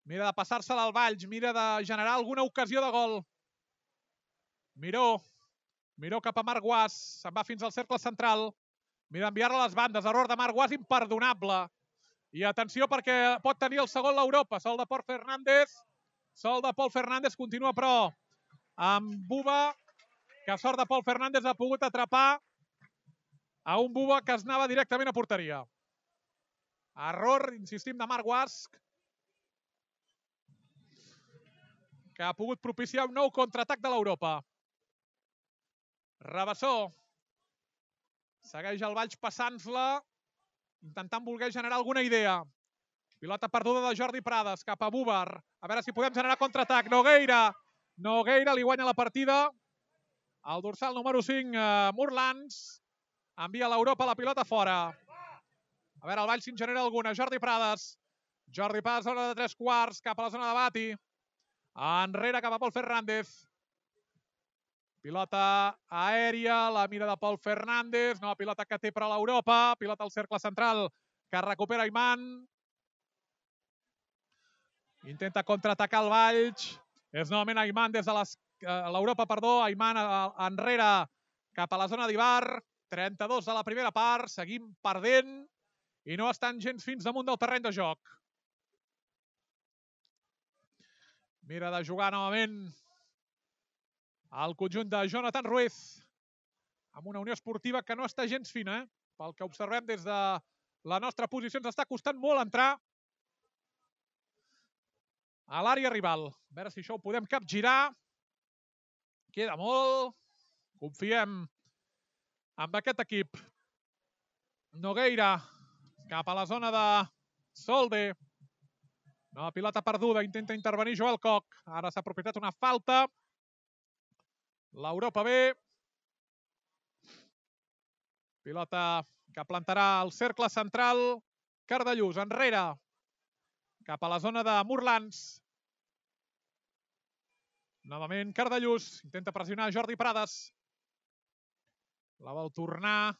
[SPEAKER 1] Mira de passar-se-la al Valls. Mira de generar alguna ocasió de gol. Miró. Miró cap a Marc Guas. Se'n va fins al cercle central. Mira d'enviar-la a les bandes. Error de Marc Guas imperdonable. I atenció perquè pot tenir el segon l'Europa. Sol de Pol Fernández. Sol de Pol Fernández continua però amb Buba. Que sort de Pol Fernández ha pogut atrapar a un Buba que es anava directament a porteria. Error, insistim, de Marc Guas. Que ha pogut propiciar un nou contraatac de l'Europa. Rabassó. Segueix el Valls passant-la. Intentant voler generar alguna idea. Pilota perduda de Jordi Prades cap a Búvar. A veure si podem generar contraatac. Nogueira. Nogueira li guanya la partida. El dorsal número 5, Murlans, envia l'Europa la pilota fora. A veure, el Valls si en genera alguna. Jordi Prades. Jordi Prades, zona de 3/4, cap a la zona de Bati. Enrere cap a Pol Fernández. Pilota aèria, la mira de Pol Fernández. Nova pilota que té per a l'Europa. Pilota al cercle central que recupera Ayman. Intenta contraatacar el Valls. És novament Ayman des de l'Europa, Ayman enrere cap a la zona d'Ibar. 32 de la primera part. Seguim perdent i no estan gens fins damunt del terreny de joc. Mira de jugar novament el conjunt de Jonathan Ruiz amb una Unió Esportiva que no està gens fina. Pel que observem des de la nostra posició ens està costant molt entrar a l'àrea rival. A veure si això ho podem capgirar. Queda molt. Confiem en aquest equip. Nogueira cap a la zona de Solde. Nova pilota perduda. Intenta intervenir Joel Koch. Ara s'ha aprofitat una falta. L'Europa B. Pilota que plantarà al cercle central. Cardellús enrere cap a la zona de Murlans. Novament Cardellús. Intenta pressionar Jordi Prades. La vol tornar.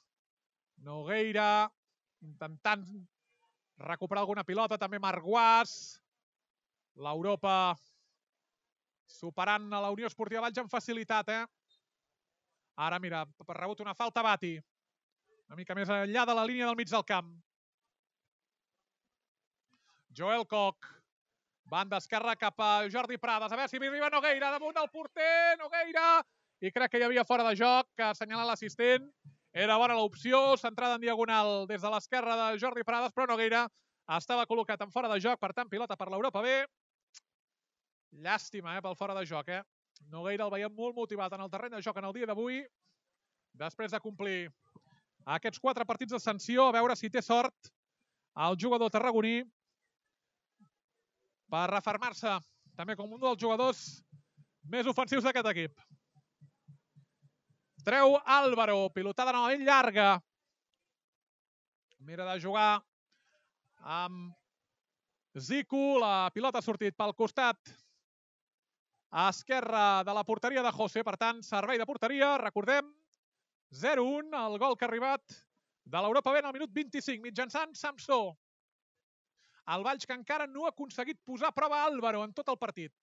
[SPEAKER 1] Nogueira intentant recuperar alguna pilota. També Marc Guas. L'Europa superant a la Unió Esportiva Valls amb facilitat. Ara, mira, ha rebut una falta Bati. Una mica més enllà de la línia del mig del camp. Joel Koch. Banda esquerra cap a Jordi Prades. A veure si arriba Nogueira damunt del porter. Nogueira. I crec que hi havia fora de joc, que ha assenyalat l'assistent. Era bona l'opció. Centrada en diagonal des de l'esquerra de Jordi Prades, però Nogueira estava col·locat en fora de joc. Per tant, pilota per l'Europa B. Llàstima, pel fora de joc. Nogueira el veiem molt motivat en el terreny de joc en el dia d'avui. Després de complir aquests 4 partits de sanció, a veure si té sort el jugador tarragoní per refermar-se també com un dels jugadors més ofensius d'aquest equip. Treu Álvaro, pilotada novament llarga. Mira de jugar amb Zico. La pilota ha sortit pel costat a esquerra de la porteria de José. Per tant, servei de porteria. Recordem, 0-1, el gol que ha arribat de l'Europa B en el minut 25, mitjançant Samsó. El Valls que encara no ha aconseguit posar a prova Álvaro en tot el partit.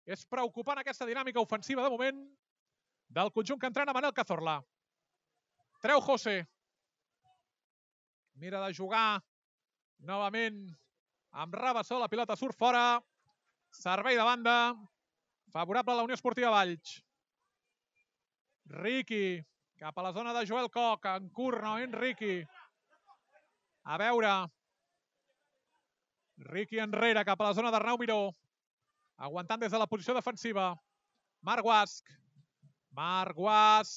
[SPEAKER 1] És preocupant aquesta dinàmica ofensiva de moment del conjunt que entrena Manel Cazorla. Treu José. Mira de jugar novament amb Rabassó. La pilota surt fora. Servei de banda. Favorable a la Unió Esportiva Valls. Riqui. Cap a la zona de Joel Koch. En curt, novament Riqui. A veure. Riqui enrere, cap a la zona d'Arnau Miró. Aguantant des de la posició defensiva. Marc Guasc. Marc Guas.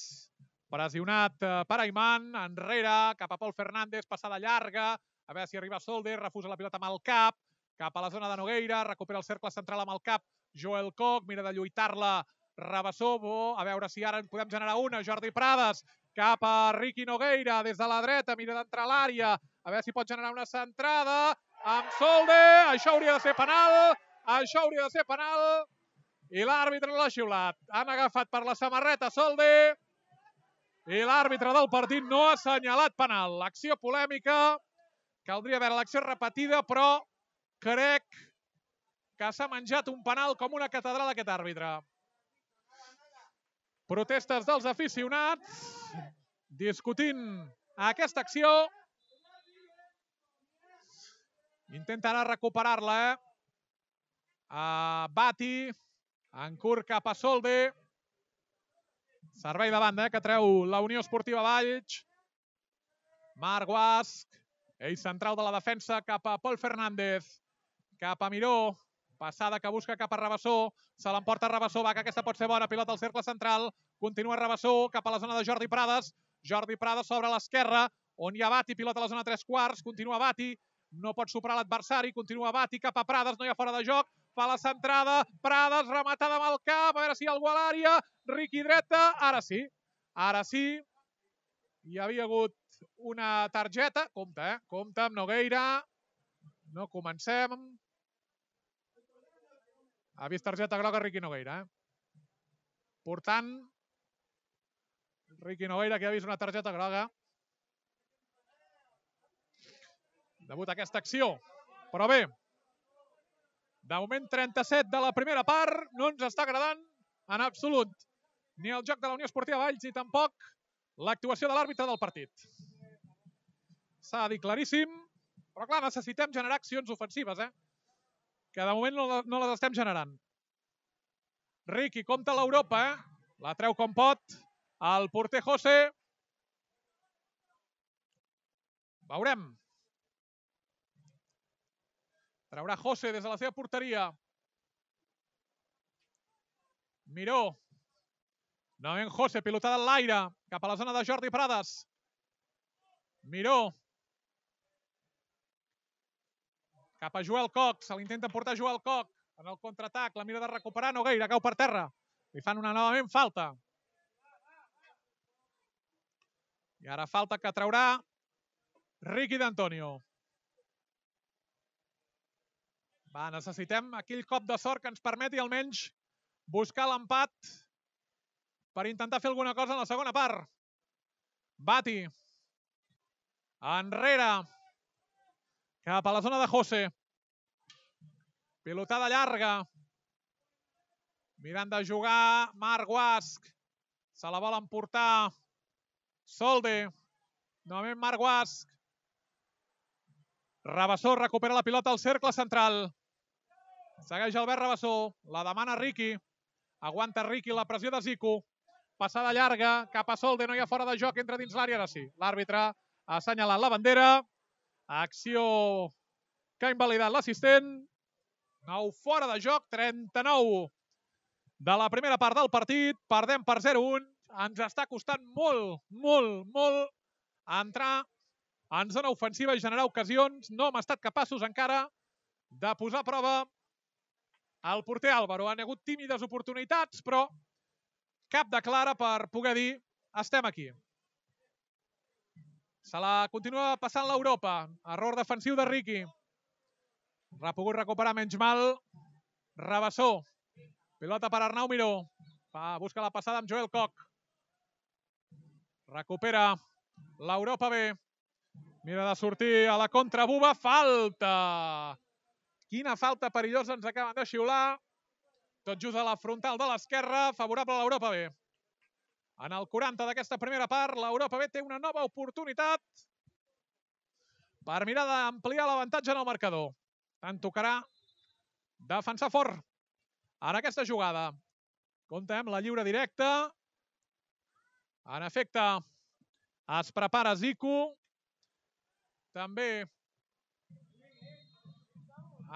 [SPEAKER 1] Pressionat per Ayman. Enrere, cap a Pol Fernández. Passada llarga. A veure si arriba Solde. Refusa la pilota amb el cap. Cap a la zona de Nogueira. Recupera el cercle central amb el cap. Joel Koch. Mira de lluitar-la. Rabassó. A veure si ara en podem generar una. Jordi Prades. Cap a Riqui Nogueira. Des de la dreta. Mira d'entrar a l'àrea. A veure si pot generar una centrada. Amb Solde. Això hauria de ser penal. Això hauria de ser penal. I l'àrbitre l'ha xiulat. Han agafat per la samarreta Solde. I l'àrbitre del partit no ha assenyalat penal. L'acció polèmica. Caldria veure l'acció repetida, però crec que s'ha menjat un penal com una catedral aquest àrbitre. Protestes dels aficionats discutint aquesta acció. Intenta ara recuperar-la. Bati. En curt cap a Solde. Servei de banda que treu la Unió Esportiva Valls. Marc Guasc. Ell central de la defensa cap a Pol Fernández. Cap a Miró. Passada que busca cap a Rabassó. Se l'emporta Rabassó. Va, que aquesta pot ser bona. Pilota al cercle central. Continua Rabassó cap a la zona de Jordi Prades. Jordi Prades sobre l'esquerra. On hi ha Bati. Pilota a la zona 3/4. Continua Bati. No pot superar l'adversari. Continua Bati cap a Prades. No hi ha fora de joc. fa la centrada, Prades, rematada amb el cap, a veure si hi ha algú a l'àrea, Riqui dreta, ara sí, hi havia hagut una targeta, compte amb Nogueira, no comencem. Ha vist targeta groga Riqui Nogueira, portant Riqui Nogueira, que ha vist una targeta groga. Debut aquesta acció, però bé, de moment 37 de la primera part, no ens està agradant en absolut ni el joc de la Unió Esportiva Valls ni tampoc l'actuació de l'àrbitre del partit. S'ha de dir claríssim, però clar, necessitem generar accions ofensives, que de moment no les estem generant. Riqui compta l'Europa, la treu com pot, el porter José. Veurem. Traurà José des de la seva porteria. Miró. Novament José, pilotada en l'aire, cap a la zona de Jordi Prades. Miró. Cap a Joel Coc, se l'intenta portar Joel Coc en el contraatac, la mira de recuperar Nogueira, cau per terra. Li fan una novament falta. I ara falta que traurà Riqui d'Antonio. Va, necessitem aquell cop de sort que ens permeti almenys buscar l'empat per intentar fer alguna cosa en la segona part. Bati. Enrere. Cap a la zona de José. Pilotada llarga. Mirant de jugar Marc Guasc. Se la vol emportar Solde. Novament Marc Guasc. Rabassó recupera la pilota al cercle central. Segueix Albert Rabassó. La demana Riqui. Aguanta Riqui la pressió de Zico. Passada llarga cap a Solde. No hi ha fora de joc. Entra dins l'àrea. Ara sí. L'àrbitre ha assenyalat la bandera. Acció que ha invalidat l'assistent. 9 fora de joc. 39 de la primera part del partit. Perdem per 0-1. Ens està costant molt entrar en zona ofensiva i generar ocasions. No hem estat capaços encara de posar a prova el porter Álvaro. Han hagut tímides oportunitats, però cap de clara per poder dir estem aquí. Se la continua passant l'Europa. Error defensiu de Riqui. Ha pogut recuperar menys mal Rabassó. Pilota per Arnau Miró. Busca la passada amb Joel Coc. Recupera l'Europa B. Mira de sortir a la contra Buba. Falta! Quina falta perillosa ens acaben de xiular. Tot just a la frontal de l'esquerra, favorable a l'Europa B. En el 40 d'aquesta primera part, l'Europa B té una nova oportunitat per mirar d'ampliar l'avantatge en el marcador. Tant tocarà defensar fort en aquesta jugada. Compte amb la lliure directa. En efecte, es prepara Zico. També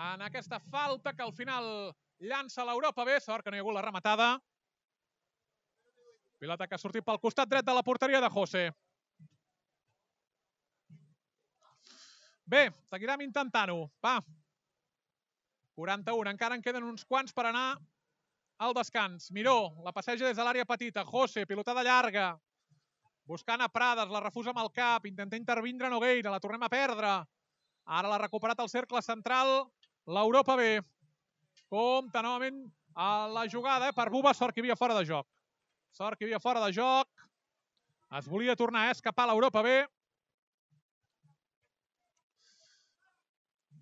[SPEAKER 1] en aquesta falta que al final llança l'Europa B. Sort que no hi ha hagut la rematada. Pilota que ha sortit pel costat dret de la porteria de José. Bé, seguirem intentant-ho. Va. 41. Encara en queden uns quants per anar al descans. Miró, la passeja des de l'àrea petita. José, pilotada llarga. Buscant a Prades, la refusa amb el cap. Intenta intervindre Nogueira, la tornem a perdre. Ara l'ha recuperat al cercle central l'Europa B. Compte novament a la jugada per Buba. Sort que hi havia fora de joc. Sort que hi havia fora de joc. Es volia tornar a escapar l'Europa B.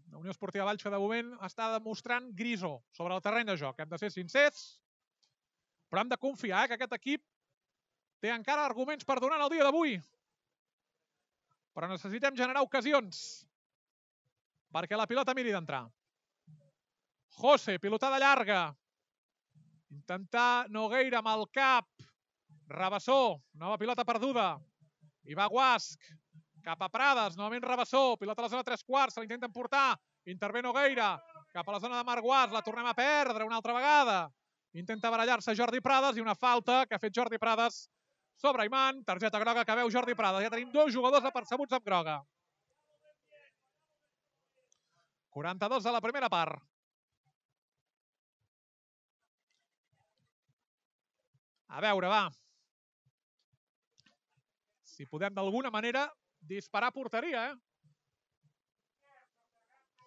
[SPEAKER 1] La Unió Esportiva Valls que de moment està demostrant grisó sobre el terreny de joc. Hem de ser sincers, però hem de confiar que aquest equip té encara arguments per donar en el dia d'avui. Però necessitem generar ocasions perquè la pilota miri d'entrar. José, pilotada llarga. Intentar Nogueira amb el cap. Rabassó, nova pilota perduda. I va Guasc. Cap a Prades, novament Rabassó. Pilota a la zona 3/4, se l'intenten portar. Intervé Nogueira. Cap a la zona de Marc Guasc, la tornem a perdre una altra vegada. Intenta barallar-se Jordi Prades i una falta que ha fet Jordi Prades sobre Iman. Targeta groga que veu Jordi Prades. Ja tenim 2 jugadors apercebuts amb groga. 42 de la primera part. A veure, va. Si podem d'alguna manera disparar a porteria,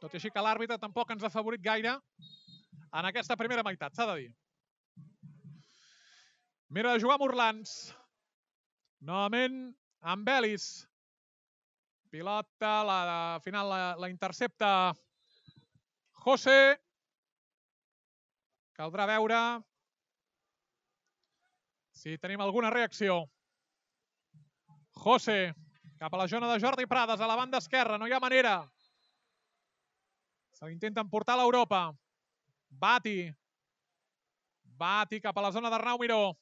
[SPEAKER 1] Tot i així que l'àrbitre tampoc ens ha favorit gaire en aquesta primera meitat, s'ha de dir. Mira de jugar amb Orlans. Novament amb Belis. Pilota, al final la intercepta José. Caldrà veure si tenim alguna reacció. José, cap a la zona de Jordi Prades, a la banda esquerra, no hi ha manera. Se l'intenten portar a l'Europa. Bati cap a la zona d'Arnau Miró.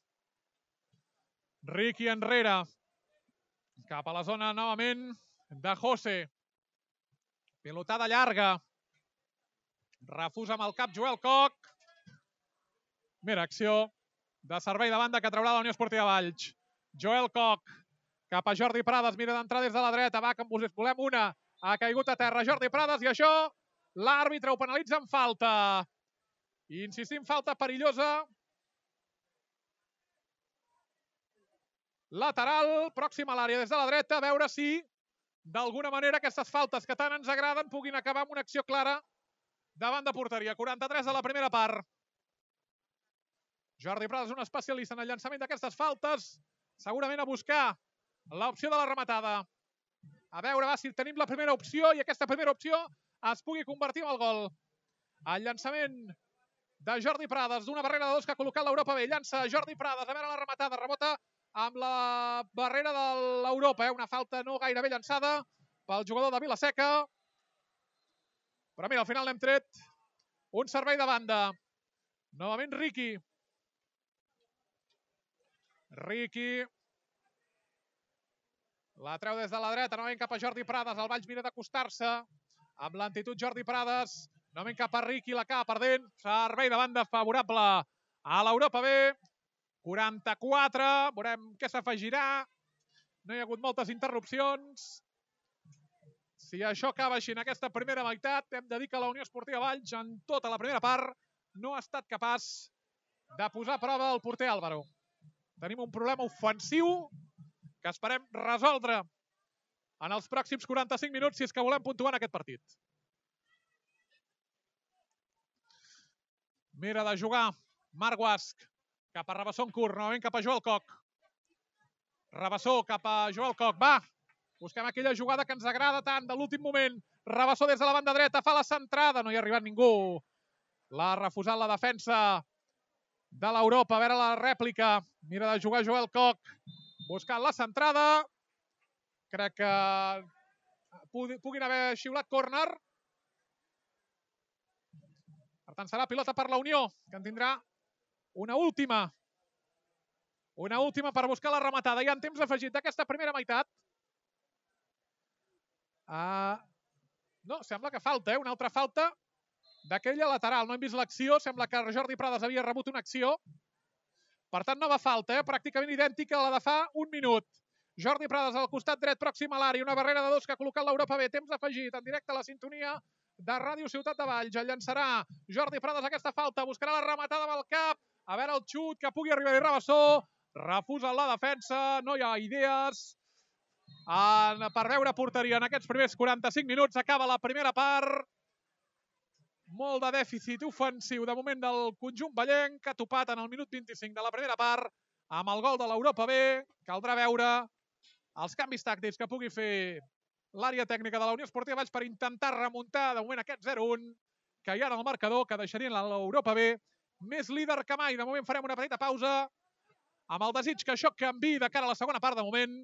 [SPEAKER 1] Riqui enrere. Cap a la zona novament de José. Pilotada llarga. Refusa amb el cap Joel Coc. Mira, acció de servei de banda que traurà la Unió Esportiva Valls. Joel Coc cap a Jordi Prades. Mira d'entrar des de la dreta. Va, que en volem una. Ha caigut a terra Jordi Prades i això l'àrbitre ho penalitza amb falta. I insistim, falta perillosa. Lateral, pròxim a l'àrea des de la dreta, a veure si d'alguna manera aquestes faltes que tant ens agraden puguin acabar amb una acció clara davant de porteria. 43 de la primera part. Jordi Prades, un especialista en el llançament d'aquestes faltes, segurament a buscar l'opció de la rematada. A veure, va, si tenim la primera opció i aquesta primera opció es pugui convertir en el gol. El llançament de Jordi Prades, d'una barrera de dos que ha col·locat l'Europa B. Llança Jordi Prades, a veure la rematada, rebota amb la barrera de l'Europa. Una falta no gaire bé llançada pel jugador de Vilaseca. Però mira, al final l'hem tret un servei de banda. Novament Riqui. Riqui. La treu des de la dreta, novament cap a Jordi Prades. El Valls mira d'acostar-se amb lentitud Jordi Prades. Novament cap a Riqui, la acaba perdent. Servei de banda favorable a l'Europa B. 44, veurem què s'afegirà. No hi ha hagut moltes interrupcions. Si això acaba així en aquesta primera meitat, hem de dir que la Unió Esportiva Valls, en tota la primera part, no ha estat capaç de posar a prova el porter Álvaro. Tenim un problema ofensiu que esperem resoldre en els pròxims 45 minuts si és que volem puntuar en aquest partit. Mira de jugar Marc Guasc cap a Rabassó en curt, novament cap a Joel Coc. Rabassó cap a Joel Coc, va! Busquem aquella jugada que ens agrada tant de l'últim moment. Rabassó des de la banda dreta, fa la centrada, no hi ha arribat ningú. L'ha refusat la defensa de l'Europa, a veure la rèplica. Mira de jugar Joel Coc, buscant la centrada. Crec que puguin haver xiulat córner. Per tant, serà pilota per la Unió, que en tindrà una última per buscar la rematada. Ja en temps afegit d'aquesta primera meitat. No, sembla que falta, una altra falta d'aquella lateral. No hem vist l'acció, sembla que Jordi Prades havia rebut una acció. Per tant, nova falta, pràcticament idèntica a la de fa un minut. Jordi Prades al costat dret, pròxim a l'àrea, una barrera de dos que ha col·locat l'Europa B. Temps afegit, en directe a la sintonia de Ràdio Ciutat de Valls. El llançarà Jordi Prades aquesta falta, buscarà la rematada amb el cap. A veure el xut que pugui arribar-hi Rabassó. Refusa la defensa, no hi ha idees per veure porteria en aquests primers 45 minuts. Acaba la primera part. Molt de dèficit ofensiu de moment del conjunt vallenc, que ha topat en el minut 25 de la primera part amb el gol de l'Europa B. Caldrà veure els canvis tàctics que pugui fer l'àrea tècnica de la Unió Esportiva Valls per intentar remuntar de moment aquest 0-1 que hi ha en el marcador, que deixarien l'Europa B més líder que mai. De moment farem una petita pausa amb el desig que això canviï de cara a la segona part. De moment,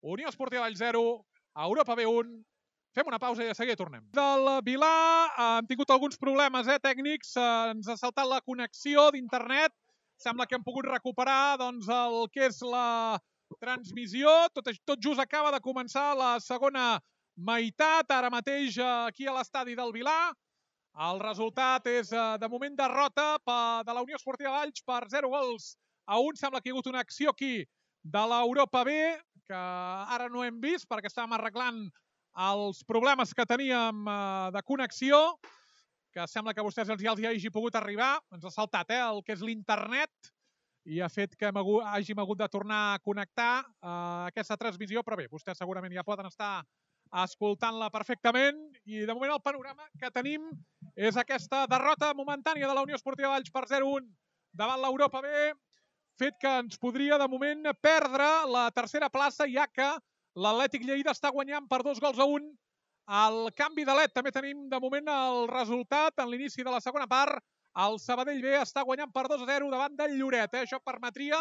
[SPEAKER 1] Unió Esportiva Valls 0, Europa B 1. Fem una pausa i de seguida tornem. Del Vilà hem tingut alguns problemes tècnics. Ens ha saltat la connexió d'internet. Sembla que hem pogut recuperar el que és la transmissió. Tot just acaba de començar la segona meitat, ara mateix aquí a l'estadi del Vilà. El resultat és, de moment, derrota de la Unió Esportiva Valls per 0-1. Sembla que hi ha hagut una acció aquí de l'Europa B, que ara no hem vist perquè estàvem arreglant els problemes que teníem de connexió, que sembla que a vostès ja els hi hagi pogut arribar. Ens ha saltat el que és l'internet i ha fet que hàgim hagut de tornar a connectar aquesta transmissió, però bé, vostès segurament ja poden estar escoltant-la perfectament i de moment el panorama que tenim és aquesta derrota momentània de la Unió Esportiva Valls per 0-1 davant l'Europa B, fet que ens podria de moment perdre la tercera plaça, ja que l'Atlètic Lleida està guanyant per 2-1. Al canvi de LED també tenim de moment el resultat en l'inici de la segona part. El Sabadell B està guanyant per 2-0 davant del Lloret. Això permetria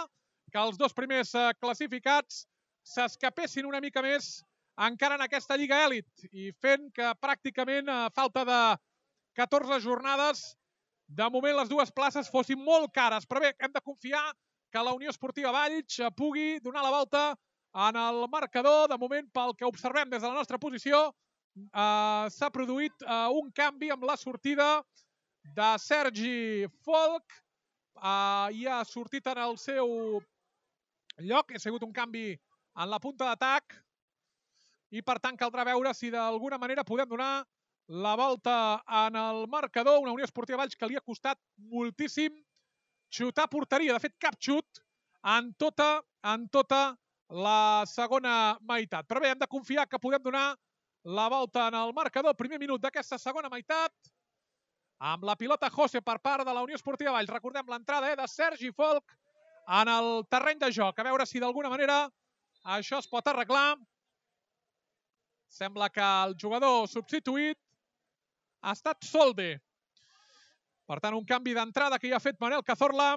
[SPEAKER 1] que els dos primers classificats s'escapessin una mica més encara en aquesta Lliga Èlit i fent que pràcticament a falta de 14 jornades de moment les dues places fossin molt cares. Però bé, hem de confiar que la Unió Esportiva Valls pugui donar la volta en el marcador. De moment, pel que observem des de la nostra posició, s'ha produït un canvi amb la sortida de Sergi Folk. I ha sortit en el seu lloc. Ha sigut un canvi en la punta d'atac i per tant caldrà veure si d'alguna manera podem donar la volta en el marcador. Una Unió Esportiva Valls que li ha costat moltíssim xutar a porteria. De fet, cap xut en tota la segona meitat. Però bé, hem de confiar que podem donar la volta en el marcador. Primer minut d'aquesta segona meitat amb la pilota José per part de la Unió Esportiva Valls. Recordem l'entrada de Sergi Folk en el terreny de joc. A veure si d'alguna manera això es pot arreglar. Sembla que el jugador substituït ha estat Solde. Per tant, un canvi d'entrada que ja ha fet Manel Cazorla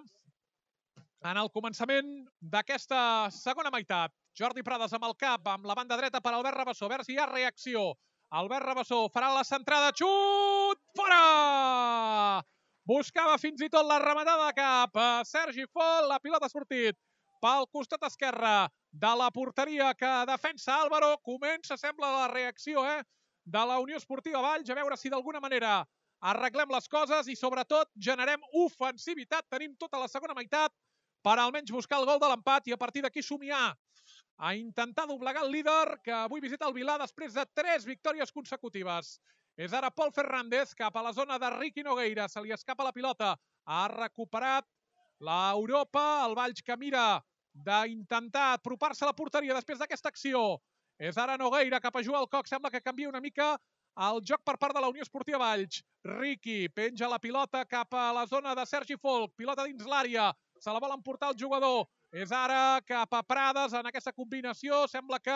[SPEAKER 1] en el començament d'aquesta segona meitat. Jordi Prades amb el cap, amb la banda dreta per Albert Rabassó. A veure si hi ha reacció. Albert Rabassó farà la centrada. Xut! Fora! Buscava fins i tot la rematada de cap. Sergi Folk, la pilota ha sortit pel costat esquerre de la porteria que defensa Álvaro. Comença, sembla, la reacció de la Unió Esportiva Valls. A veure si d'alguna manera arreglem les coses i sobretot generem ofensivitat. Tenim tota la segona meitat per almenys buscar el gol de l'empat i a partir d'aquí somiar a intentar doblegar el líder que avui visita el Vilà després de 3 victòries consecutives. És ara Pol Fernández cap a la zona de Riqui Nogueira. Se li escapa la pilota. Ha recuperat l'Europa. El Valls que mira d'intentar apropar-se a la porteria després d'aquesta acció. És ara Nogueira cap a jugar al Coc. Sembla que canvia una mica el joc per part de la Unió Esportiva Valls. Riqui penja la pilota cap a la zona de Sergi Folk. Pilota dins l'àrea. Se la vol emportar el jugador. És ara cap a Prades en aquesta combinació. Sembla que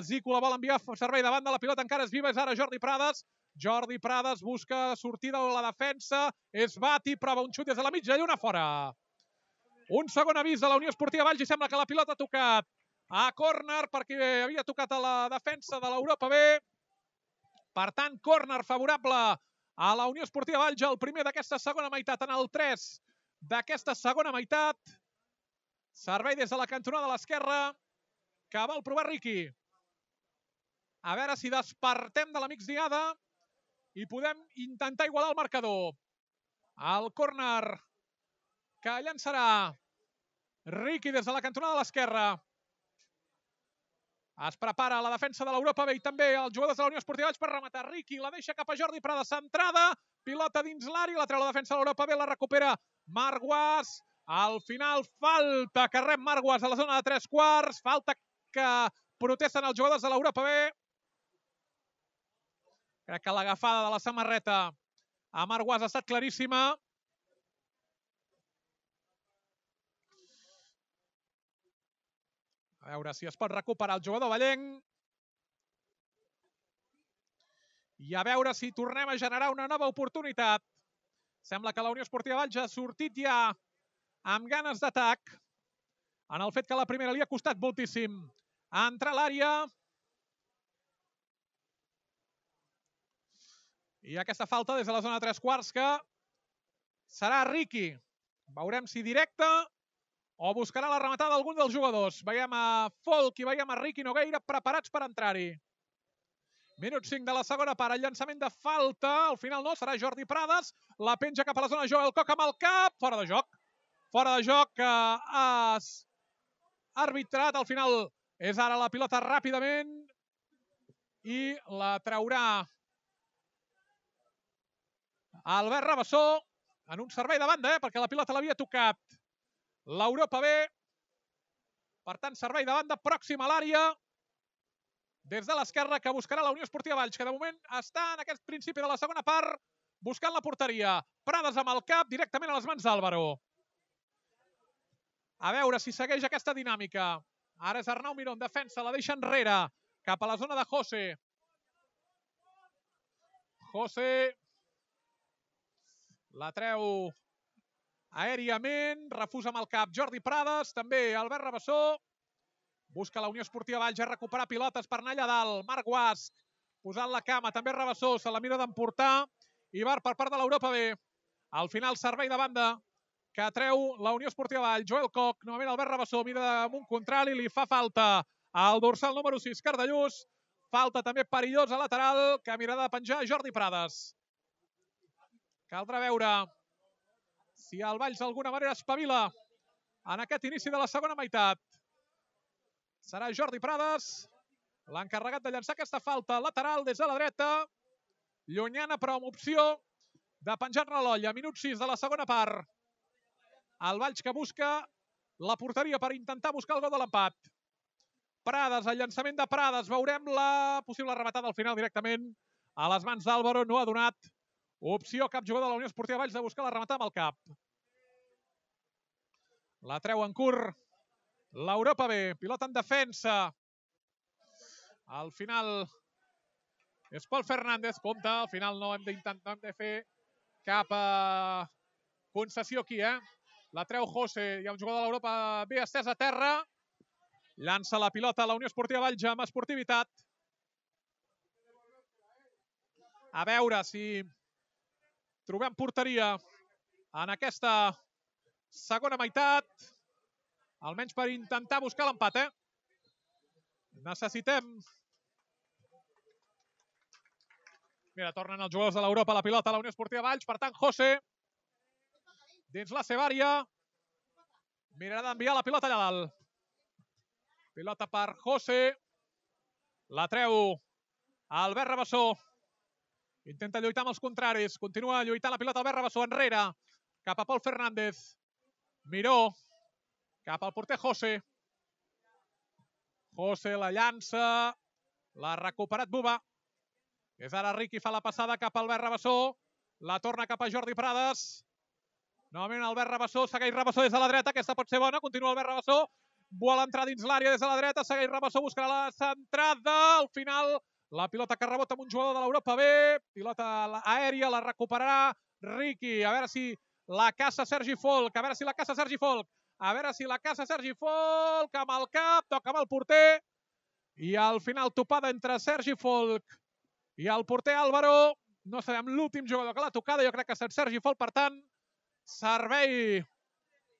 [SPEAKER 1] Zico la vol enviar servei davant de la pilota. Encara és viva. És ara Jordi Prades. Jordi Prades busca sortida a la defensa. És Bati, prova un xut des de la mitja lluna fora. Un segon avís de la Unió Esportiva Valls i sembla que la pilota ha tocat a córner perquè havia tocat a la defensa de l'Europa B. Per tant, córner favorable a la Unió Esportiva Valls, el primer d'aquesta segona meitat, en el 3 d'aquesta segona meitat. Servei des de la cantonada de l'esquerra que vol provar Riqui. A veure si despertem de la migdiada i podem intentar igualar el marcador. El córner que llançarà Riqui des de la cantonada de l'esquerra. Es prepara la defensa de l'Europa B i també els jugadors de la Unió Esportiva Valls per rematar. Riqui la deixa cap a Jordi Prades, centrada, pilota dins l'àrea, la treu la defensa de l'Europa B, la recupera Marc Guas. Al final, falta que rep Marc Guas a la zona de 3/4, falta que protesten els jugadors de l'Europa B. Crec que l'agafada de la samarreta a Marc Guas ha estat claríssima. A veure si es pot recuperar el jugador vallenc. I a veure si tornem a generar una nova oportunitat. Sembla que la Unió Esportiva Valls ha sortit ja amb ganes d'atac. En el fet que la primera li ha costat moltíssim entrar a l'àrea. I aquesta falta des de la zona de 3/4 que serà Riqui. Veurem si directa o buscarà la rematada d'algun dels jugadors. Veiem a Folk i veiem a Riqui Nogueira preparats per entrar-hi. Minut 5 de la segona part, el llançament de falta. Al final no, serà Jordi Prades. La penja cap a la zona de joc, el Coc amb el cap. Fora de joc. Fora de joc que ha arbitrat. Al final és ara la pilota ràpidament i la traurà Albert Rabassó en un servei de banda, perquè la pilota l'havia tocat l'Europa B. Per tant, servei de banda pròxim a l'àrea. Des de l'esquerra, que buscarà la Unió Esportiva Valls, que de moment està en aquest principi de la segona part buscant la porteria. Prades amb el cap directament a les mans d'Álvaro. A veure si segueix aquesta dinàmica. Ara és Arnau Miró en defensa, la deixa enrere, cap a la zona de José. José la treu aèriament, refusa amb el cap Jordi Prades, també Albert Rabassó. Busca la Unió Esportiva Valls a recuperar pilotes per anar allà dalt. Marc Guasc posant la cama, també Rabassó, se la mira d'emportar. Ibar per part de l'Europa B. Al final, servei de banda que treu la Unió Esportiva Valls. Joel Koch, novament Albert Rabassó, mira damunt contrari, li fa falta al dorsal número 6, Cardellús. Falta també perillosa lateral, que mirarà de penjar Jordi Prades. Caldrà veure si el Valls d'alguna manera espavila en aquest inici de la segona meitat. Serà Jordi Prades l'encarregat de llançar aquesta falta lateral des de la dreta. Llunyana, però amb opció de penjar-ne l'olla. Minut 6 de la segona part. El Valls que busca la porteria per intentar buscar el gol de l'empat. Prades, el llançament de Prades. Veurem la possible rematada al final directament a les mans d'Álvaro. No ha donat opció cap jugador de la Unió Esportiva Valls de buscar la rematada amb el cap. La treu en curt l'Europa B. Pilota en defensa. Al final és Pol Fernández. Compte, al final no hem de fer cap concessió aquí, La treu José. Hi ha un jugador de l'Europa B estès a terra. Llança la pilota a la Unió Esportiva Valls amb esportivitat. A veure si trobem porteria en aquesta segona meitat. Almenys per intentar buscar l'empat, Necessitem... Mira, tornen els jugadors de l'Europa a la pilota a la Unió Esportiva Valls. Per tant, José, dins la seva àrea, mirarà d'enviar la pilota allà dalt. Pilota per José. La treu Albert Rabassó. Intenta lluitar amb els contraris. Continua lluitant la pilota Albert Rabassó enrere. Cap a Pol Fernández. Miró. Cap al porter José. José la llança. L'ha recuperat Buba. És ara Riqui, fa la passada cap a Albert Rabassó. La torna cap a Jordi Prades. Novament Albert Rabassó. Segueix Rabassó des de la dreta. Aquesta pot ser bona. Continua Albert Rabassó. Vol entrar dins l'àrea des de la dreta. Segueix Rabassó. Buscarà la centrada. Al final, la pilota que rebota amb un jugador de l'Europa B. Pilota aèria. La recuperarà Riqui. A veure si la caça Sergi Folk. A veure si la caça Sergi Folk. A veure si la caça Sergi Folk. Amb el cap. Toca amb el porter. I al final topada entre Sergi Folk i el porter Álvaro. No sabem l'últim jugador que l'ha tocada. Jo crec que és Sergi Folk. Per tant, servei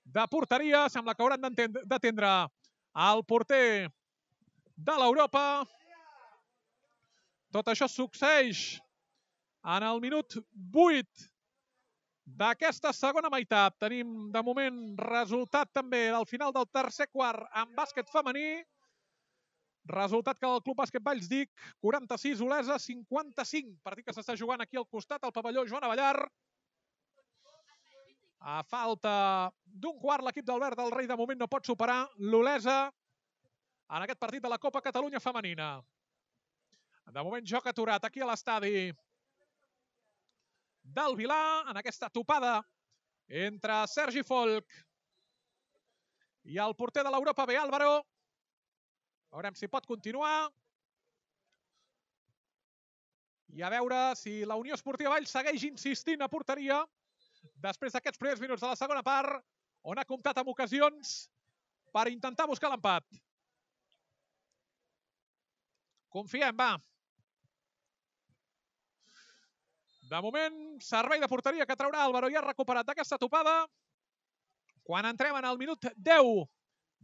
[SPEAKER 1] de porteria. Sembla que hauran d'atendre el porter de l'Europa. Tot això succeeix en el minut 8 d'aquesta segona meitat. Tenim de moment resultat també del final del tercer quart en bàsquet femení. Resultat que el Club Bàsquet Valls Dic, 46, Olesa 55. Partit que s'està jugant aquí al costat, al pavelló Joan Avellar. A falta d'un quart, l'equip d'Albert del Rei de moment no pot superar l'Olesa en aquest partit de la Copa Catalunya Femenina. De moment joc aturat aquí a l'estadi del Vilà, en aquesta topada entre Sergi Folk i el porter de l'Europa B, Álvaro. Veurem si pot continuar. I a veure si la Unió Esportiva Valls segueix insistint a porteria després d'aquests primers minuts de la segona part, on ha comptat amb ocasions per intentar buscar l'empat. Confiem, va. De moment, servei de porteria que traurà Álvaro. Ja ha recuperat d'aquesta topada quan entrem en el minut 10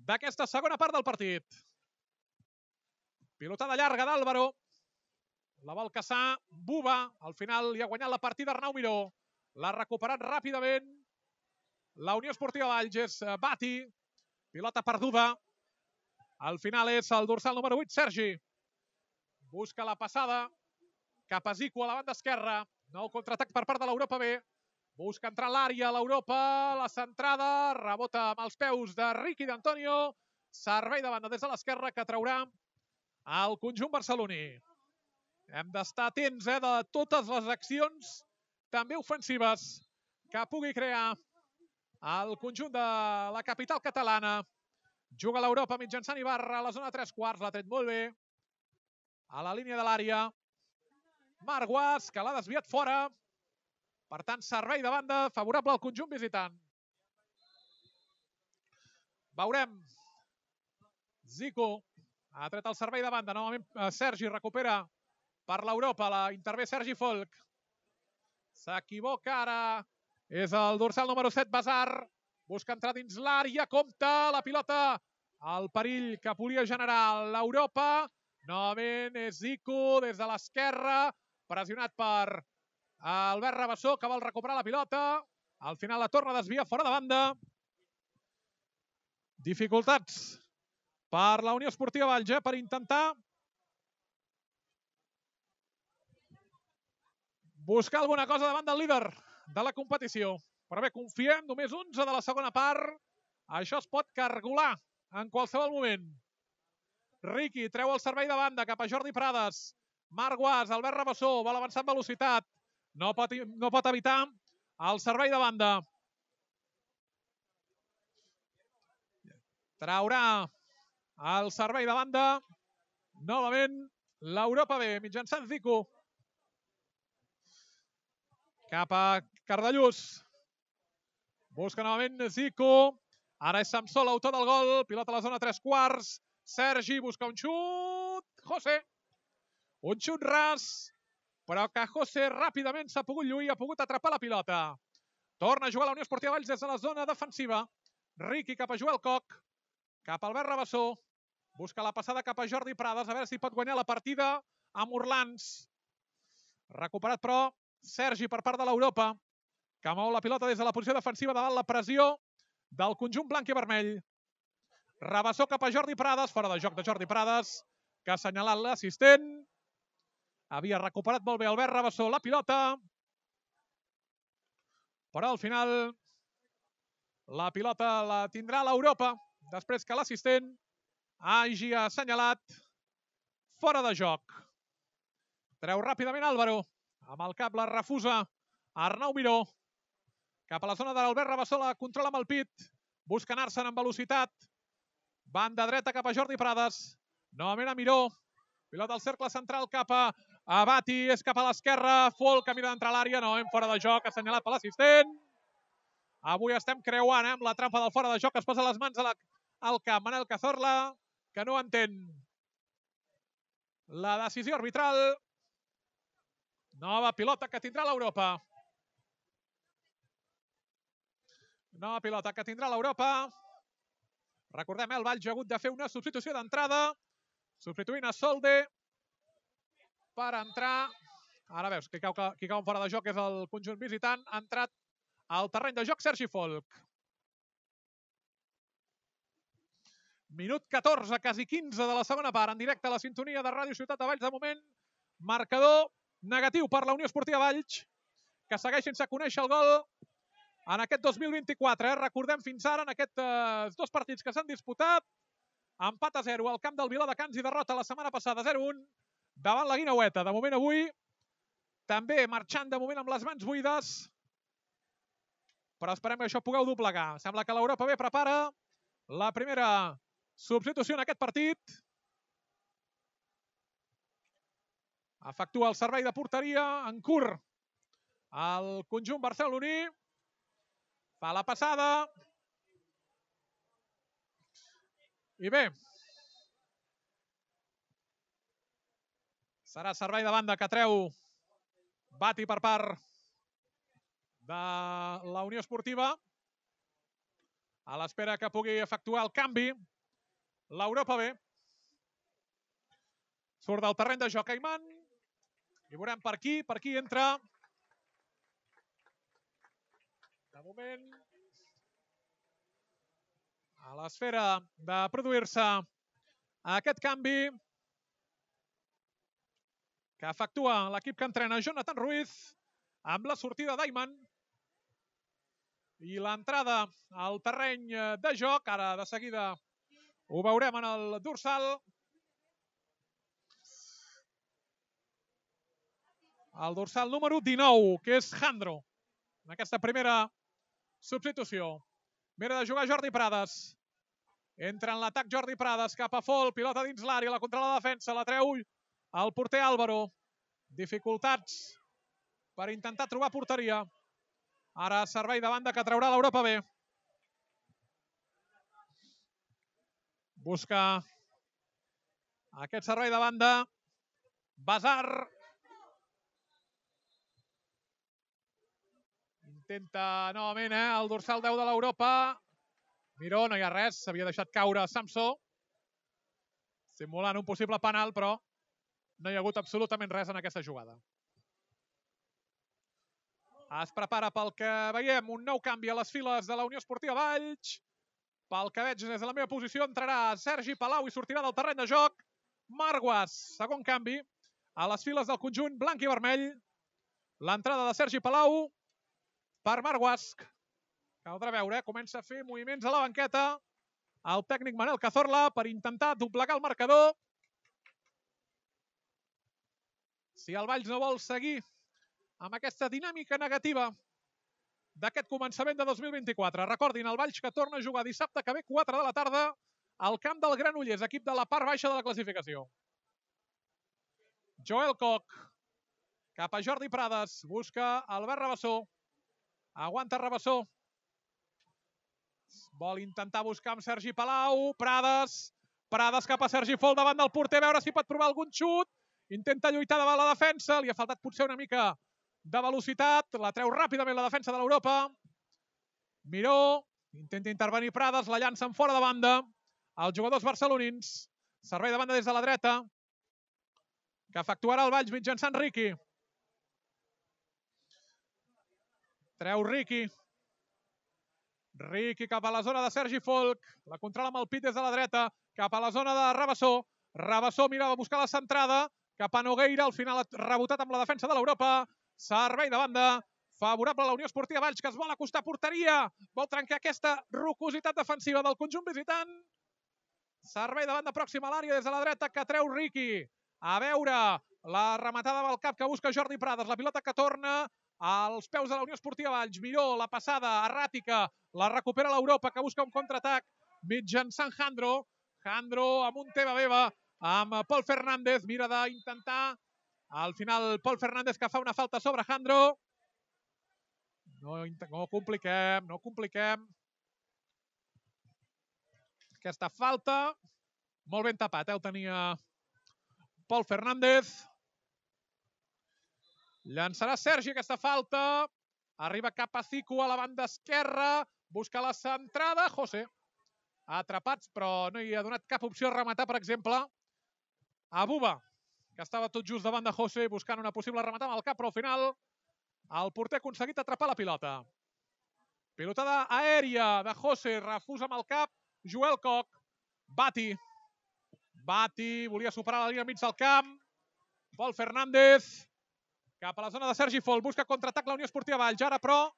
[SPEAKER 1] d'aquesta segona part del partit. Pilotada llarga d'Álvaro. La vol caçar Buba. Al final li ha guanyat la partida Arnau Miró. L'ha recuperat ràpidament la Unió Esportiva Valls. És Bati. Pilota perduda. Al final és el dorsal número 8, Sergi. Busca la passada cap a Zico a la banda esquerra. Nou contraatac per part de l'Europa B. Busca entrar a l'àrea, l'Europa, la centrada, rebota amb els peus de Riqui d'Antonio, servei de banda des de l'esquerra que traurà el conjunt barceloní. Hem d'estar atents de totes les accions, també ofensives, que pugui crear el conjunt de la capital catalana. Juga l'Europa mitjançant Ibarra a la zona 3/4, l'ha tret molt bé. A la línia de l'àrea, Marc Guas, que l'ha desviat fora. Per tant, servei de banda favorable al conjunt visitant. Veurem. Zico ha tret el servei de banda. Novament Sergi recupera per l'Europa. Intervé Sergi Folk. S'equivoca ara. És el dorsal número 7, Basar. Busca entrar dins l'àrea. Compte la pilota. El perill que volia generar l'Europa. Novament és Zico des de l'esquerra. Pressionat per Albert Rabassó, que vol recuperar la pilota. Al final la torna a desviar fora de banda. Dificultats per la Unió Esportiva Valls, per intentar buscar alguna cosa davant del líder de la competició. Però bé, confiem, només 11 de la segona part. Això es pot cargolar en qualsevol moment. Riqui treu el servei de banda cap a Jordi Prades. Marc Guas, Albert Rabassó, vol avançar amb velocitat. No pot evitar el servei de banda. Traurà el servei de banda. Novament l'Europa B, mitjançant Zico. Cap a Cardellús. Busca novament Zico. Ara és Samsó, l'autor del gol. Pilota a la zona 3/4. Sergi busca un xut. José. Un xut ras. Però que José ràpidament s'ha pogut lluir, ha pogut atrapar la pilota. Torna a jugar la Unió Esportiva Valls des de la zona defensiva. Riqui cap a Joel Coc. Cap a Albert Rabassó. Busca la passada cap a Jordi Prades. A veure si pot guanyar la partida amb Orlans. Recuperat, però, Sergi per part de l'Europa, que mou la pilota des de la posició defensiva davant la pressió del conjunt blanc i vermell. Rabassó cap a Jordi Prades. Fora de joc de Jordi Prades, que ha assenyalat l'assistent. Havia recuperat molt bé Albert Rabassó la pilota. Però al final la pilota la tindrà l'Europa després que l'assistent hagi assenyalat fora de joc. Treu ràpidament Álvaro. Amb el cap la refusa Arnau Miró. Cap a la zona de l'Albert Rabassó, la controla amb el pit. Busca anar-se'n amb velocitat. Banda dreta cap a Jordi Prades. Novament a Miró. Pilota al cercle central cap a Bati. És cap a l'esquerra. Folk que mira d'entrar a l'àrea. No, fora de joc, assenyalat per l'assistent. Avui estem creuant amb la trampa del fora de joc. Es posa les mans al camp. Manel Cazorla, que no entén la decisió arbitral. Nova pilota que tindrà l'Europa. Nova pilota que tindrà l'Europa. Recordem, el Valls ha hagut de fer una substitució d'entrada. Substituint a Solde per entrar. Ara veus, qui cau fora de joc és el conjunt visitant. Ha entrat al terreny de joc Sergi Folk. Minut 14, quasi 15 de la segona part. En directe a la sintonia de Ràdio Ciutat de Valls. De moment, marcador negatiu per la Unió Esportiva Valls, que segueix sense conèixer el gol en aquest 2024. Recordem fins ara en aquests dos partits que s'han disputat. Empat a 0 al camp del Viladecans i derrota la setmana passada 0-1 davant la Guineueta. De moment avui també marxant de moment amb les mans buides, però esperem que això pugueu doblegar. Sembla que l'Europa B prepara la primera substitució en aquest partit. Efectua el servei de porteria en curt el conjunt barceloní. Fa la passada. I bé, serà servei de banda que treu Bati per part de la Unió Esportiva. A l'espera que pugui efectuar el canvi l'Europa B. Surt del terreny de joc Ayman. I veurem per aquí entra. De moment, a l'esfera de produir-se aquest canvi que efectua l'equip que entrena Jonathan Ruiz amb la sortida d'Ayman. i l'entrada al terreny de joc. Ara de seguida ho veurem en el dorsal. El dorsal número 19, que és Jandro, en aquesta primera substitució. Mira de jugar Jordi Prades. Entra en l'atac Jordi Prades cap a Fol, pilota dins l'àrea, la contra la defensa, la treu el porter Álvaro. Dificultats per intentar trobar porteria. Ara servei de banda que traurà l'Europa B. Busca aquest servei de banda Basar. Intenta novament el dorsal 10 de l'Europa. Miró, no hi ha res, s'havia deixat caure Samsó, simulant un possible penal, però no hi ha hagut absolutament res en aquesta jugada. Es prepara pel que veiem un nou canvi a les files de la Unió Esportiva Valls. Pel que veig des de la meva posició entrarà Sergi Palau i sortirà del terreny de joc Marguas, segon canvi a les files del conjunt blanc i vermell. L'entrada de Sergi Palau per Marguas. Caldrà veure, comença a fer moviments a la banqueta el tècnic Manel Cazorla per intentar doblegar el marcador. Si el Valls no vol seguir amb aquesta dinàmica negativa d'aquest començament de 2024. Recordin, el Valls que torna a jugar dissabte que ve 4 de la tarda al camp del Granollers, equip de la part baixa de la classificació. Joel Koch cap a Jordi Prades, busca Albert Rabassó, aguanta Rabassó. Vol intentar buscar amb Sergi Palau, Prades cap a Sergi Fol davant del porter, a veure si pot provar algun xut. Intenta lluitar davant la defensa, li ha faltat potser una mica de velocitat, la treu ràpidament la defensa de l'Europa. Miró, intenta intervenir Prades, la llança en fora de banda. Els jugadors barcelonins, servei de banda des de la dreta, que efectuarà el Valls mitjançant Riqui. Treu Riqui. Riqui cap a la zona de Sergi Folk, la controla amb el pit des de la dreta, cap a la zona de Rabassó. Rabassó mira a buscar la centrada, cap a Nogueira, al final ha rebotat amb la defensa de l'Europa. Servei de banda, favorable a la Unió Esportiva Valls, que es vol acostar a porteria, vol trencar aquesta rocositat defensiva del conjunt visitant. Servei de banda pròxima a l'àrea des de la dreta, que treu Riqui. A veure, la rematada amb el cap que busca Jordi Prades, la pilota que torna als peus de la Unió Esportiva Valls. Miró, la passada erràtica, la recupera l'Europa, que busca un contraatac mitjançant Jandro. Jandro amb un teva-beva amb Pol Fernández, mira d'intentar. Al final, Pol Fernández que fa una falta sobre Jandro. No compliquem. Aquesta falta, molt ben tapat, el tenia Pol Fernández. Llançarà Sergi aquesta falta. Arriba cap a Zico a la banda esquerra. Busca la centrada. José. Atrapats, però no hi ha donat cap opció a rematar, per exemple, a Buba, que estava tot just davant de José buscant una possible rematada amb el cap, però al final el porter ha aconseguit atrapar la pilota. Pilotada aèria de José, refusa amb el cap Joel Koch. Bati volia superar la línia mig del camp. Pol Fernández cap a la zona de Sergi Fol, busca contraatac la Unió Esportiva Valls, ara però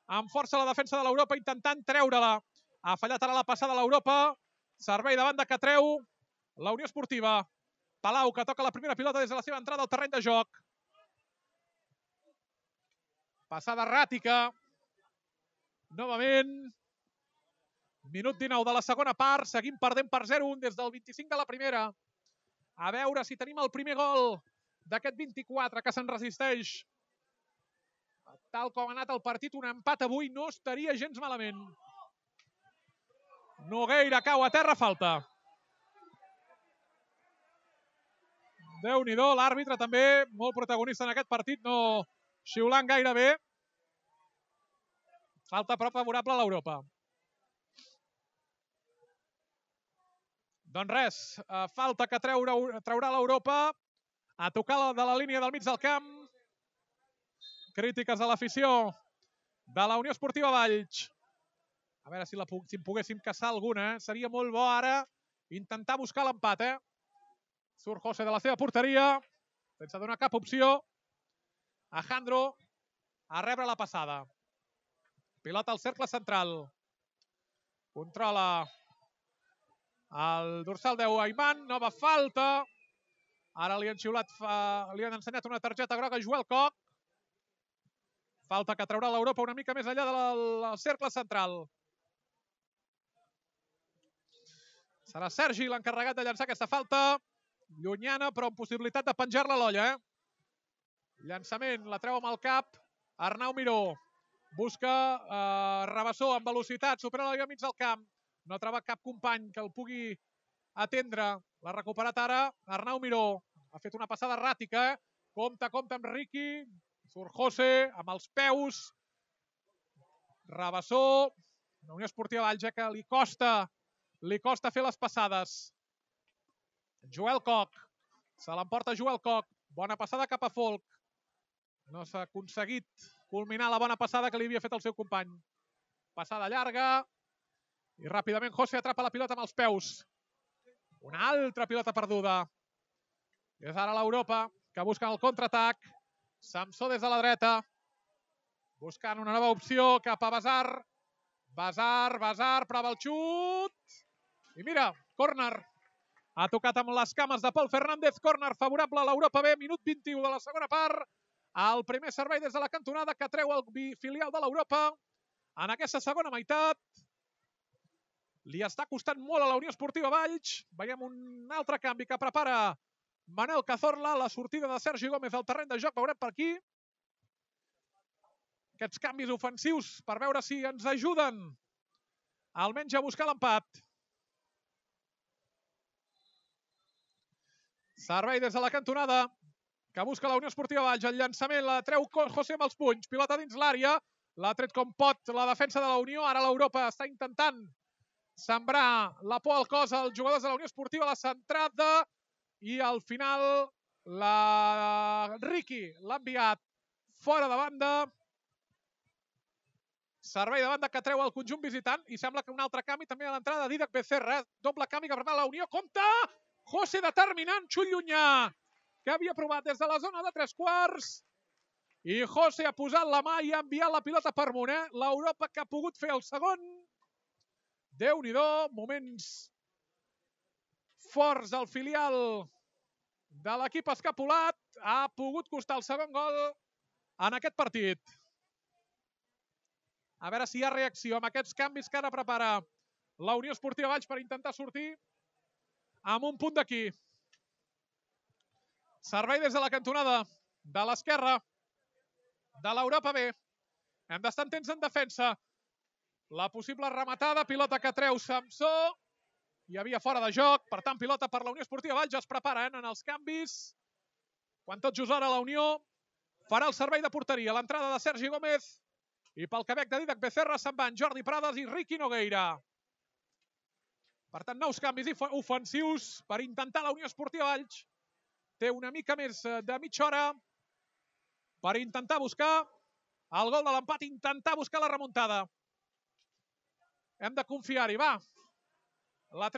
[SPEAKER 1] amb força la defensa de l'Europa intentant treure-la. Ha fallat ara la passada a l'Europa, servei de banda que treu la Unió Esportiva. Palau que toca la primera pilota des de la seva entrada al terreny de joc. Passada erràtica. Novament. Minut 19 de la segona part, seguim perdent per 0-1 des del 25 de la primera. A veure si tenim el primer gol d'aquest 24 que se'n resisteix. Tal com ha anat el partit, un empat avui no estaria gens malament. Nogueira cau a terra, falta. Déu-n'hi-do, l'àrbitre també, molt protagonista en aquest partit, no xiulant gaire bé. Falta però favorable a l'Europa. Doncs res, falta que traurà l'Europa a tocar de la línia del mig del camp. Crítiques de l'afició de la Unió Esportiva Valls. A veure si en poguéssim caçar alguna. Seria molt bo ara intentar buscar l'empat. Surt José de la seva porteria, sense donar cap opció a Jandro a rebre la passada. Pilota al cercle central. Controla el dorsal 10 Ayman, nova falta. Ara li han xiulat, li han ensenyat una targeta groga a Joel Koch. Falta que traurà l'Europa una mica més enllà del cercle central. Serà Sergi l'encarregat de llançar aquesta falta. Llunyana, però amb possibilitat de penjar-la a l'olla. Llançament, la treu amb el cap. Arnau Miró. Busca Rabassó amb velocitat, supera la línia mig del camp. No ha trobat cap company que el pugui atendre. L'ha recuperat ara Arnau Miró. Ha fet una passada erràtica. Compte amb Riqui. Surt José amb els peus. Rabassó. La Unió Esportiva Valls, que li costa fer les passades. Joel Koch. Se l'emporta Joel Koch. Bona passada cap a Folk. No s'ha aconseguit culminar la bona passada que li havia fet el seu company. Passada llarga. I ràpidament José atrapa la pilota amb els peus. Una altra pilota perduda. És ara l'Europa que busca el contraatac. Samsó des de la dreta. Buscant una nova opció cap a Basar. Basar, prova el xut. I mira, córner. Ha tocat amb les cames de Pol Fernández. Córner favorable a l'Europa B. Minut 21 de la segona part. El primer servei des de la cantonada que treu el filial de l'Europa. En aquesta segona meitat li està costant molt a la Unió Esportiva Valls. Veiem un altre canvi que prepara Manel Cazorla. La sortida de Sergi Gómez al terreny de joc. Veurem per aquí. Aquests canvis ofensius per veure si ens ajuden almenys a buscar l'empat. Servei des de la cantonada que busca la Unió Esportiva Valls. El llançament la treu José amb els punys. Pilota dins l'àrea. L'ha tret com pot la defensa de la Unió. Ara l'Europa està intentant sembrar la por al cos als jugadors de la Unió Esportiva. La centrada i al final Riqui l'ha enviat fora de banda. Servei de banda que treu el conjunt visitant i sembla que un altre canvi també a l'entrada de Dídac Becerra. Doble canvi que prepara la Unió. Compte! José determinant, xut llunyà, que havia provat des de la zona de 3/4. I José ha posat la mà i ha enviat la pilota per amunt. L'Europa que ha pogut fer el segon. Déu-n'hi-do, moments forts del filial de l'equip escapulat. Ha pogut costar el segon gol en aquest partit. A veure si hi ha reacció amb aquests canvis que ara prepara la Unió Esportiva Valls per intentar sortir amb un punt d'aquí. Servei des de la cantonada de l'esquerra de l'Europa B. Hem d'estar atents en defensa. La possible rematada, pilota que treu Samsó. Hi havia fora de joc, per tant, pilota per la Unió Esportiva Valls. Ja es preparen en els canvis. Quan tot just ara la Unió farà el servei de porteria. L'entrada de Sergi Gómez i pel Quebec de Dídac Becerra se'n van Jordi Prades i Riqui Nogueira. Per tant, nous canvis ofensius per intentar la Unió Esportiva Valls. Té una mica més de mitja hora per intentar buscar el gol de l'empat, intentar buscar la remuntada. Hem de confiar-hi, va. La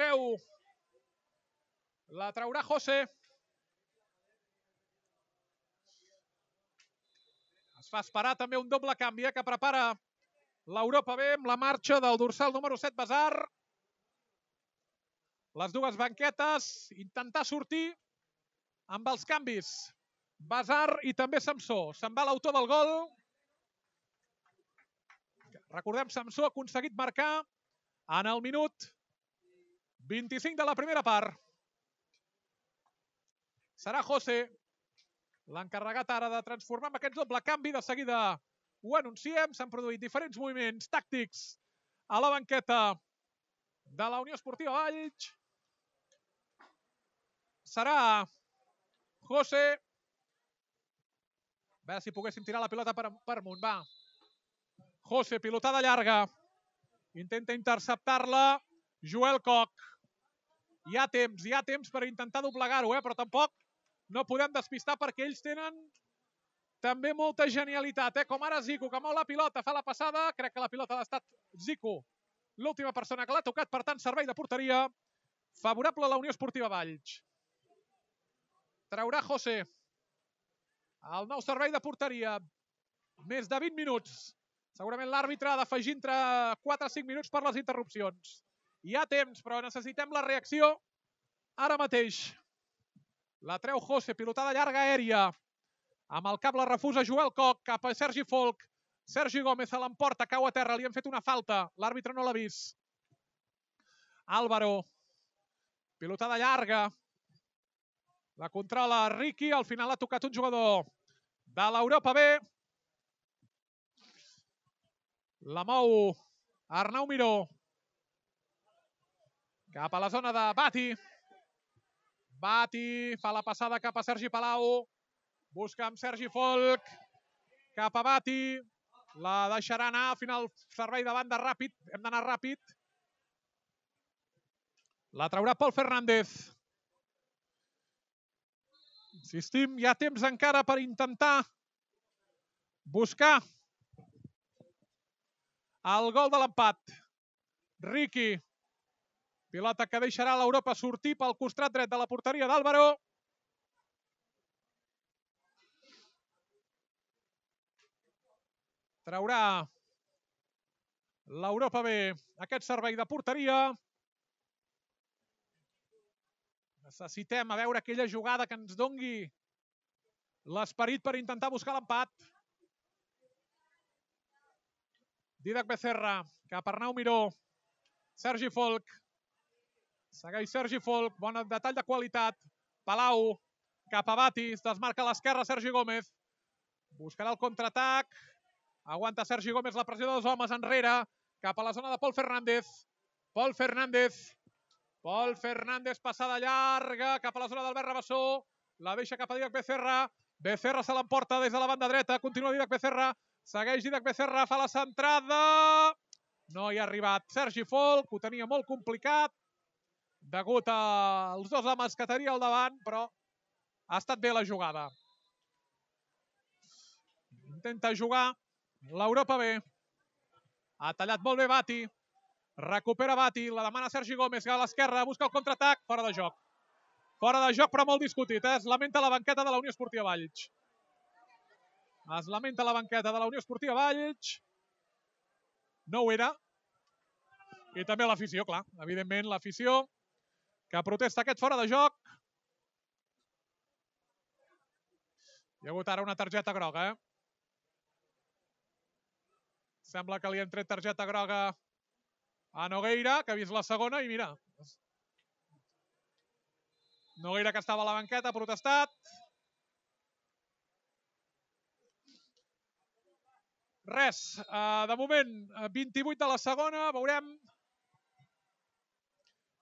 [SPEAKER 1] traurà José. Es fa esperar també un doble canvi que prepara l'Europa B amb la marxa del dorsal número 7, Basar. Les dues banquetes, intentar sortir amb els canvis. Basar i també Samsó. Se'n va l'autor del gol. Recordem, Samsó ha aconseguit marcar en el minut 25 de la primera part. Serà José l'encarregat ara de transformar amb aquest doble canvi. De seguida ho anunciem. S'han produït diferents moviments tàctics a la banqueta de la Unió Esportiva Valls. Serà José. A veure si poguéssim tirar la pilota per amunt. Va. José, pilotada llarga. Intenta interceptar-la Joel Koch. Hi ha temps per intentar doblegar-ho, però tampoc no podem despistar perquè ells tenen també molta genialitat. Com ara Zico, que mou la pilota, fa la passada. Crec que la pilota ha estat Zico, l'última persona que l'ha tocat. Per tant, servei de porteria favorable a la Unió Esportiva Valls. Traurà José. El nou servei de porteria. Més de 20 minuts Segurament l'àrbitre ha d'afegir entre 4 o 5 minuts per les interrupcions. Hi ha temps, però necessitem la reacció ara mateix. La treu José, pilotada llarga aèria. Amb el cap la refusa Joel Coc cap a Sergi Folk. Sergi Gómez a l'emporta, cau a terra, li han fet una falta. L'àrbitre no l'ha vist. Álvaro. Pilotada llarga. La controla Ricky, al final ha tocat un jugador de l'Europa B. La mou Arnau Miró. Cap a la zona de Bati. Bati fa la passada cap a Sergi Palau. Busca amb Sergi Folk. Cap a Bati. La deixarà anar. Al final servei de banda ràpid. Hem d'anar ràpid. La traurà Pol Fernández. Insistim, hi ha temps encara per intentar buscar el gol de l'empat. Ricky. Pilota que deixarà l'Europa sortir pel costat dret de la porteria d'Álvaro. Traurà l'Europa B aquest servei de porteria. Necessitem a veure aquella jugada que ens dongui l'esperit per intentar buscar l'empat. Didac Becerra, cap a Arnau Miró. Sergi Folk. Segueix Sergi Folk, bon detall de qualitat. Palau, cap a Bati, es desmarca a l'esquerra Sergi Gómez. Buscarà el contraatac. Aguanta Sergi Gómez la pressió dels homes enrere. Cap a la zona de Pol Fernández. Pol Fernández. Pol Fernández, passada llarga, cap a la zona d'Albert Rabassó. La deixa cap a Didac Becerra. Becerra se l'emporta des de la banda dreta. Continua Didac Becerra. Segueix Didac Becerra, fa la centrada. No hi ha arribat Sergi Folk, ho tenia molt complicat degut als dos homes que tenia al davant, però ha estat bé la jugada. Intenta jugar l'Europa B. Ha tallat molt bé Bati. Recupera Bati, la demana Sergi Gómez a l'esquerra, busca el contraatac, fora de joc. Fora de joc, però molt discutit. Es lamenta la banqueta de la Unió Esportiva Valls. Es lamenta la banqueta de la Unió Esportiva Valls. No ho era. I també l'afició, clar. Evidentment, l'afició que protesta aquest fora de joc. Hi ha hagut ara una targeta groga, Sembla que li han tret targeta groga a Nogueira, que ha vist la segona, i mira. Nogueira, que estava a la banqueta, ha protestat. Res, de moment, 28 de la segona, veurem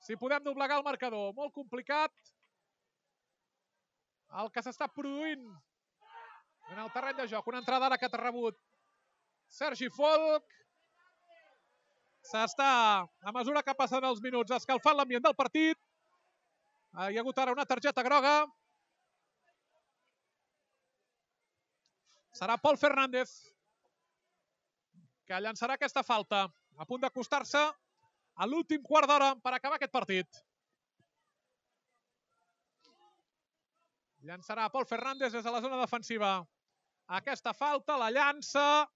[SPEAKER 1] si podem doblegar el marcador. Molt complicat el que s'està produint en el terreny de joc. Una entrada ara que t'ha rebut Sergi Folk. S'està, a mesura que passen els minuts, escalfant l'ambient del partit. Hi ha hagut ara una targeta groga. Serà Pol Fernández que llançarà aquesta falta. A punt d'acostar-se a l'últim quart d'hora per acabar aquest partit. Llançarà Pol Fernández des de la zona defensiva. Aquesta falta, la llança.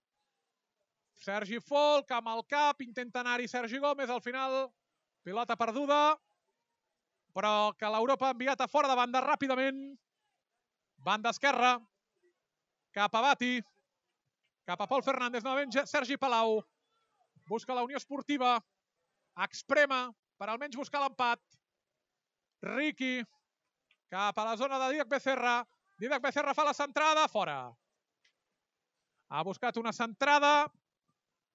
[SPEAKER 1] Sergi Folk amb el cap, intenta anar-hi Sergi Gómez, al final pilota perduda, però que l'Europa ha enviat a fora de banda ràpidament. Banda esquerra, cap a Bati, cap a Pol Fernández, novament Sergi Palau. Busca la Unió Esportiva, exprema per almenys buscar l'empat. Ricky, cap a la zona de Didac Becerra. Didac Becerra fa la centrada, fora. Ha buscat una centrada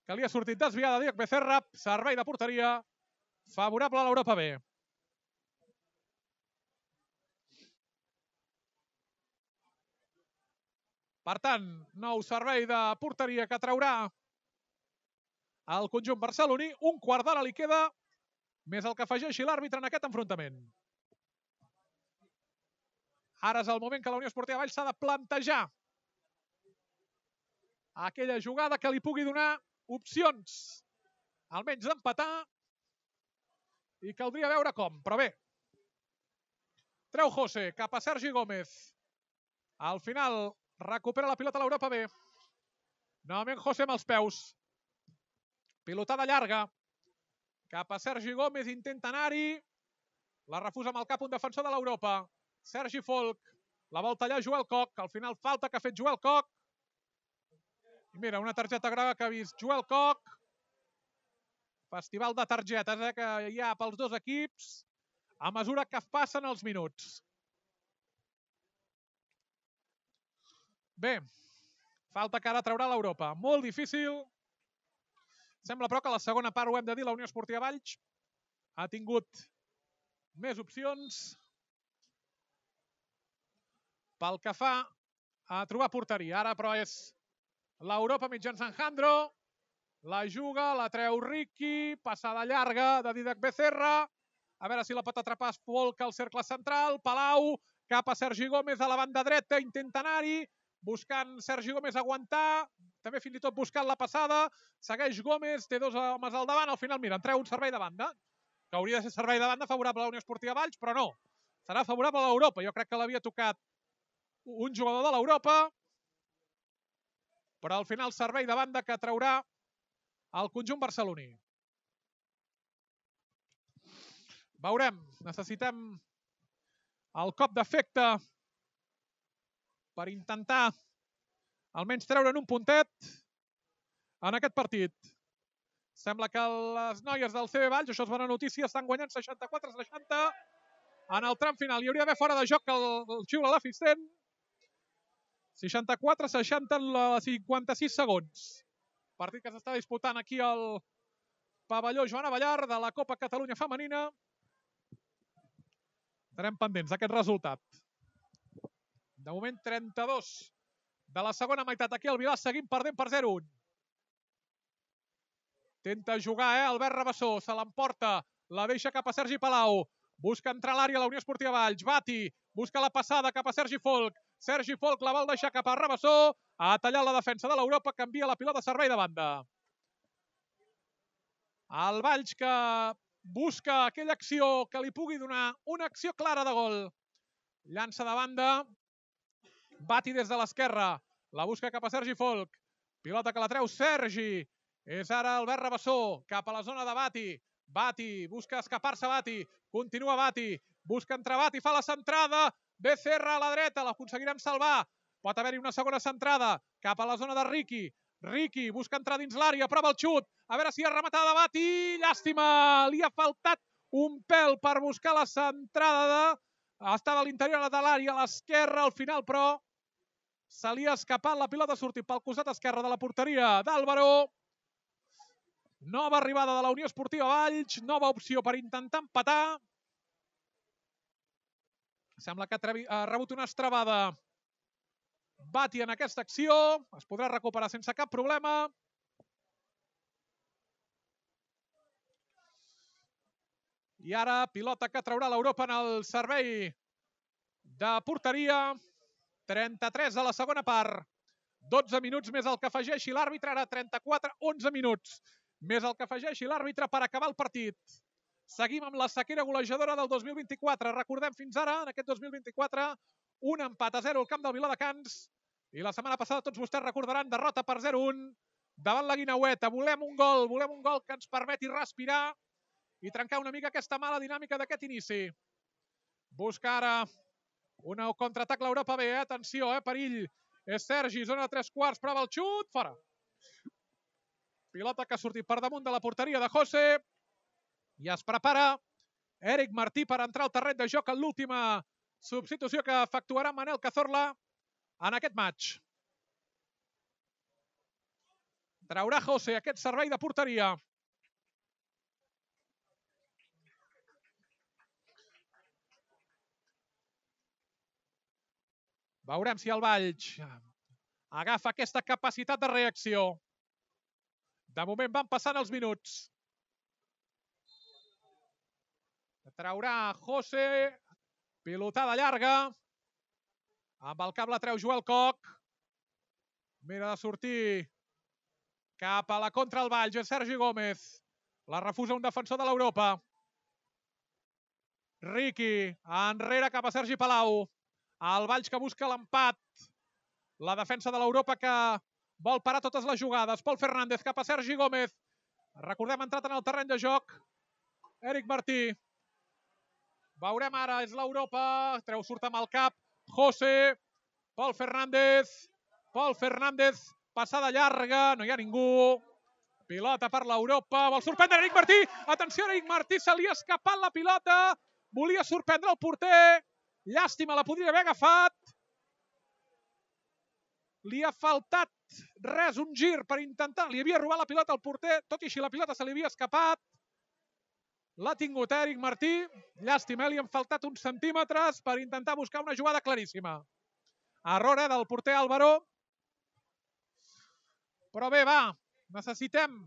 [SPEAKER 1] que li ha sortit desviada Didac Becerra. Servei de porteria favorable a l'Europa B. Per tant, nou servei de porteria que traurà el conjunt barceloní. Un quart d'hora li queda, més el que afegeixi l'àrbitre en aquest enfrontament. Ara és el moment que la Unió Esportiva Valls s'ha de plantejar aquella jugada que li pugui donar opcions, almenys d'empatar, i caldria veure com, però bé. Treu José cap a Sergi Gómez. Al final recupera la pilota a l'Europa B. Novament José amb els peus. Pilotada llarga. Cap a Sergi Gómez, intenta anar-hi. La refusa amb el cap un defensor de l'Europa. Sergi Folk. La vol tallar Joel Koch. Al final falta que ha fet Joel Koch. I mira, una targeta groga que ha vist Joel Koch. Festival de targetes que hi ha pels dos equips a mesura que passen els minuts. Bé, falta que ara traurà l'Europa. Molt difícil. Sembla, però, que a la segona part, ho hem de dir, la Unió Esportiva Valls ha tingut més opcions pel que fa a trobar porteria. Ara, però, és l'Europa mitjançant Jandro. La juga, la treu Ricky. Passada llarga de Dídac Becerra. A veure si la pot atrapar Folk al cercle central. Palau cap a Sergi Gómez a la banda dreta. Intenta anar-hi. Buscant Sergi Gómez aguantar. També fins i tot buscant la passada. Segueix Gómez, té dos homes al davant. Al final, mira, en treu un servei de banda, que hauria de ser servei de banda favorable a la Unió Esportiva Valls, però no. Serà favorable a l'Europa. Jo crec que l'havia tocat un jugador de l'Europa, però al final servei de banda que traurà el conjunt barceloní. Veurem. Necessitem el cop d'efecte per intentar almenys treure'n un puntet en aquest partit. Sembla que les noies del CB Valls, això és bona notícia, estan guanyant 64-60 en el tram final. Hi hauria d'haver fora de joc el xiula l'assistent. 64-60 en 56 segons. Partit que s'està disputant aquí al pavelló Joan Abellar de la Copa Catalunya Femenina. Estarem pendents d'aquest resultat. De moment 32 de la segona meitat. Aquí el Vilà seguim perdent per 0-1. Tenta jugar, Albert Rabassó. Se l'emporta. La deixa cap a Sergi Palau. Busca entrar a l'àrea la Unió Esportiva Valls. Bati. Busca la passada cap a Sergi Folk. Sergi Folk la vol deixar cap a Rabassó. Ha tallat la defensa de l'Europa. Canvia la pilota a servei de banda. El Valls que busca aquella acció que li pugui donar una acció clara de gol. Llança de banda. Bati des de l'esquerra. La busca cap a Sergi Folk. Pilota que la treu Sergi. És ara Albert Rabassó. Cap a la zona de Bati. Bati. Busca escapar-se Bati. Continua Bati. Busca entrar Bati. Fa la centrada. Becerra a la dreta. L'aconseguirem salvar. Pot haver-hi una segona centrada. Cap a la zona de Ricky. Ricky busca entrar dins l'àrea. Prova el xut. A veure si ha rematada Bati. Llàstima. Li ha faltat un pèl per buscar la centrada. Estava a l'interior de l'àrea. A l'esquerra al final, però se li ha escapat la pilota. Ha sortit pel costat esquerre de la porteria d'Álvaro. Nova arribada de la Unió Esportiva Valls. Nova opció per intentar empatar. Sembla que ha rebut una estrabada Bati en aquesta acció. Es podrà recuperar sense cap problema. I ara pilota que traurà l'Europa en el servei de porteria. 33 a la segona part. 12 minuts més el que afegeixi l'àrbitre. Ara 34, 11 minuts més el que afegeixi l'àrbitre per acabar el partit. Seguim amb la sequera golejadora del 2024. Recordem fins ara, en aquest 2024, un empat a 0 al camp del Viladecans. I la setmana passada, tots vostès recordaran, derrota per 0-1 davant la Guineueta. Volem un gol que ens permeti respirar i trencar una mica aquesta mala dinàmica d'aquest inici. Busca ara un contraatac l'Europa B. Atenció, perill. És Sergi, zona de 3/4, prova el xut, fora. Pilota que ha sortit per damunt de la porteria de José. I es prepara Eric Martí per entrar al terreny de joc en l'última substitució que efectuarà Manel Cazorla en aquest match. Traurà José aquest servei de porteria. Veurem si el Valls agafa aquesta capacitat de reacció. De moment van passant els minuts. Traurà José. Pilotada llarga. Amb el cap la treu Joel Koch. Mira de sortir cap a la contra el Valls. És Sergi Gómez. La refusa un defensor de l'Europa. Ricky. Enrere cap a Sergi Palau. El Valls que busca l'empat. La defensa de l'Europa que vol parar totes les jugades. Pol Fernández cap a Sergi Gómez. Recordem, ha entrat en el terreny de joc Eric Martí. Veurem ara, és l'Europa. Treu, surt amb el cap. José. Pol Fernández. Pol Fernández. Passada llarga. No hi ha ningú. Pilota per l'Europa. Vol sorprendre Eric Martí. Atenció, Eric Martí. Se li ha escapat la pilota. Volia sorprendre el porter. Llàstima, la podria haver agafat. Li ha faltat res, un gir per intentar. Li havia robat la pilota al porter. Tot i així la pilota se li havia escapat. L'ha tingut Eric Martí. Llàstima, li han faltat uns centímetres per intentar buscar una jugada claríssima. Error del porter Álvaro. Però bé, va. Necessitem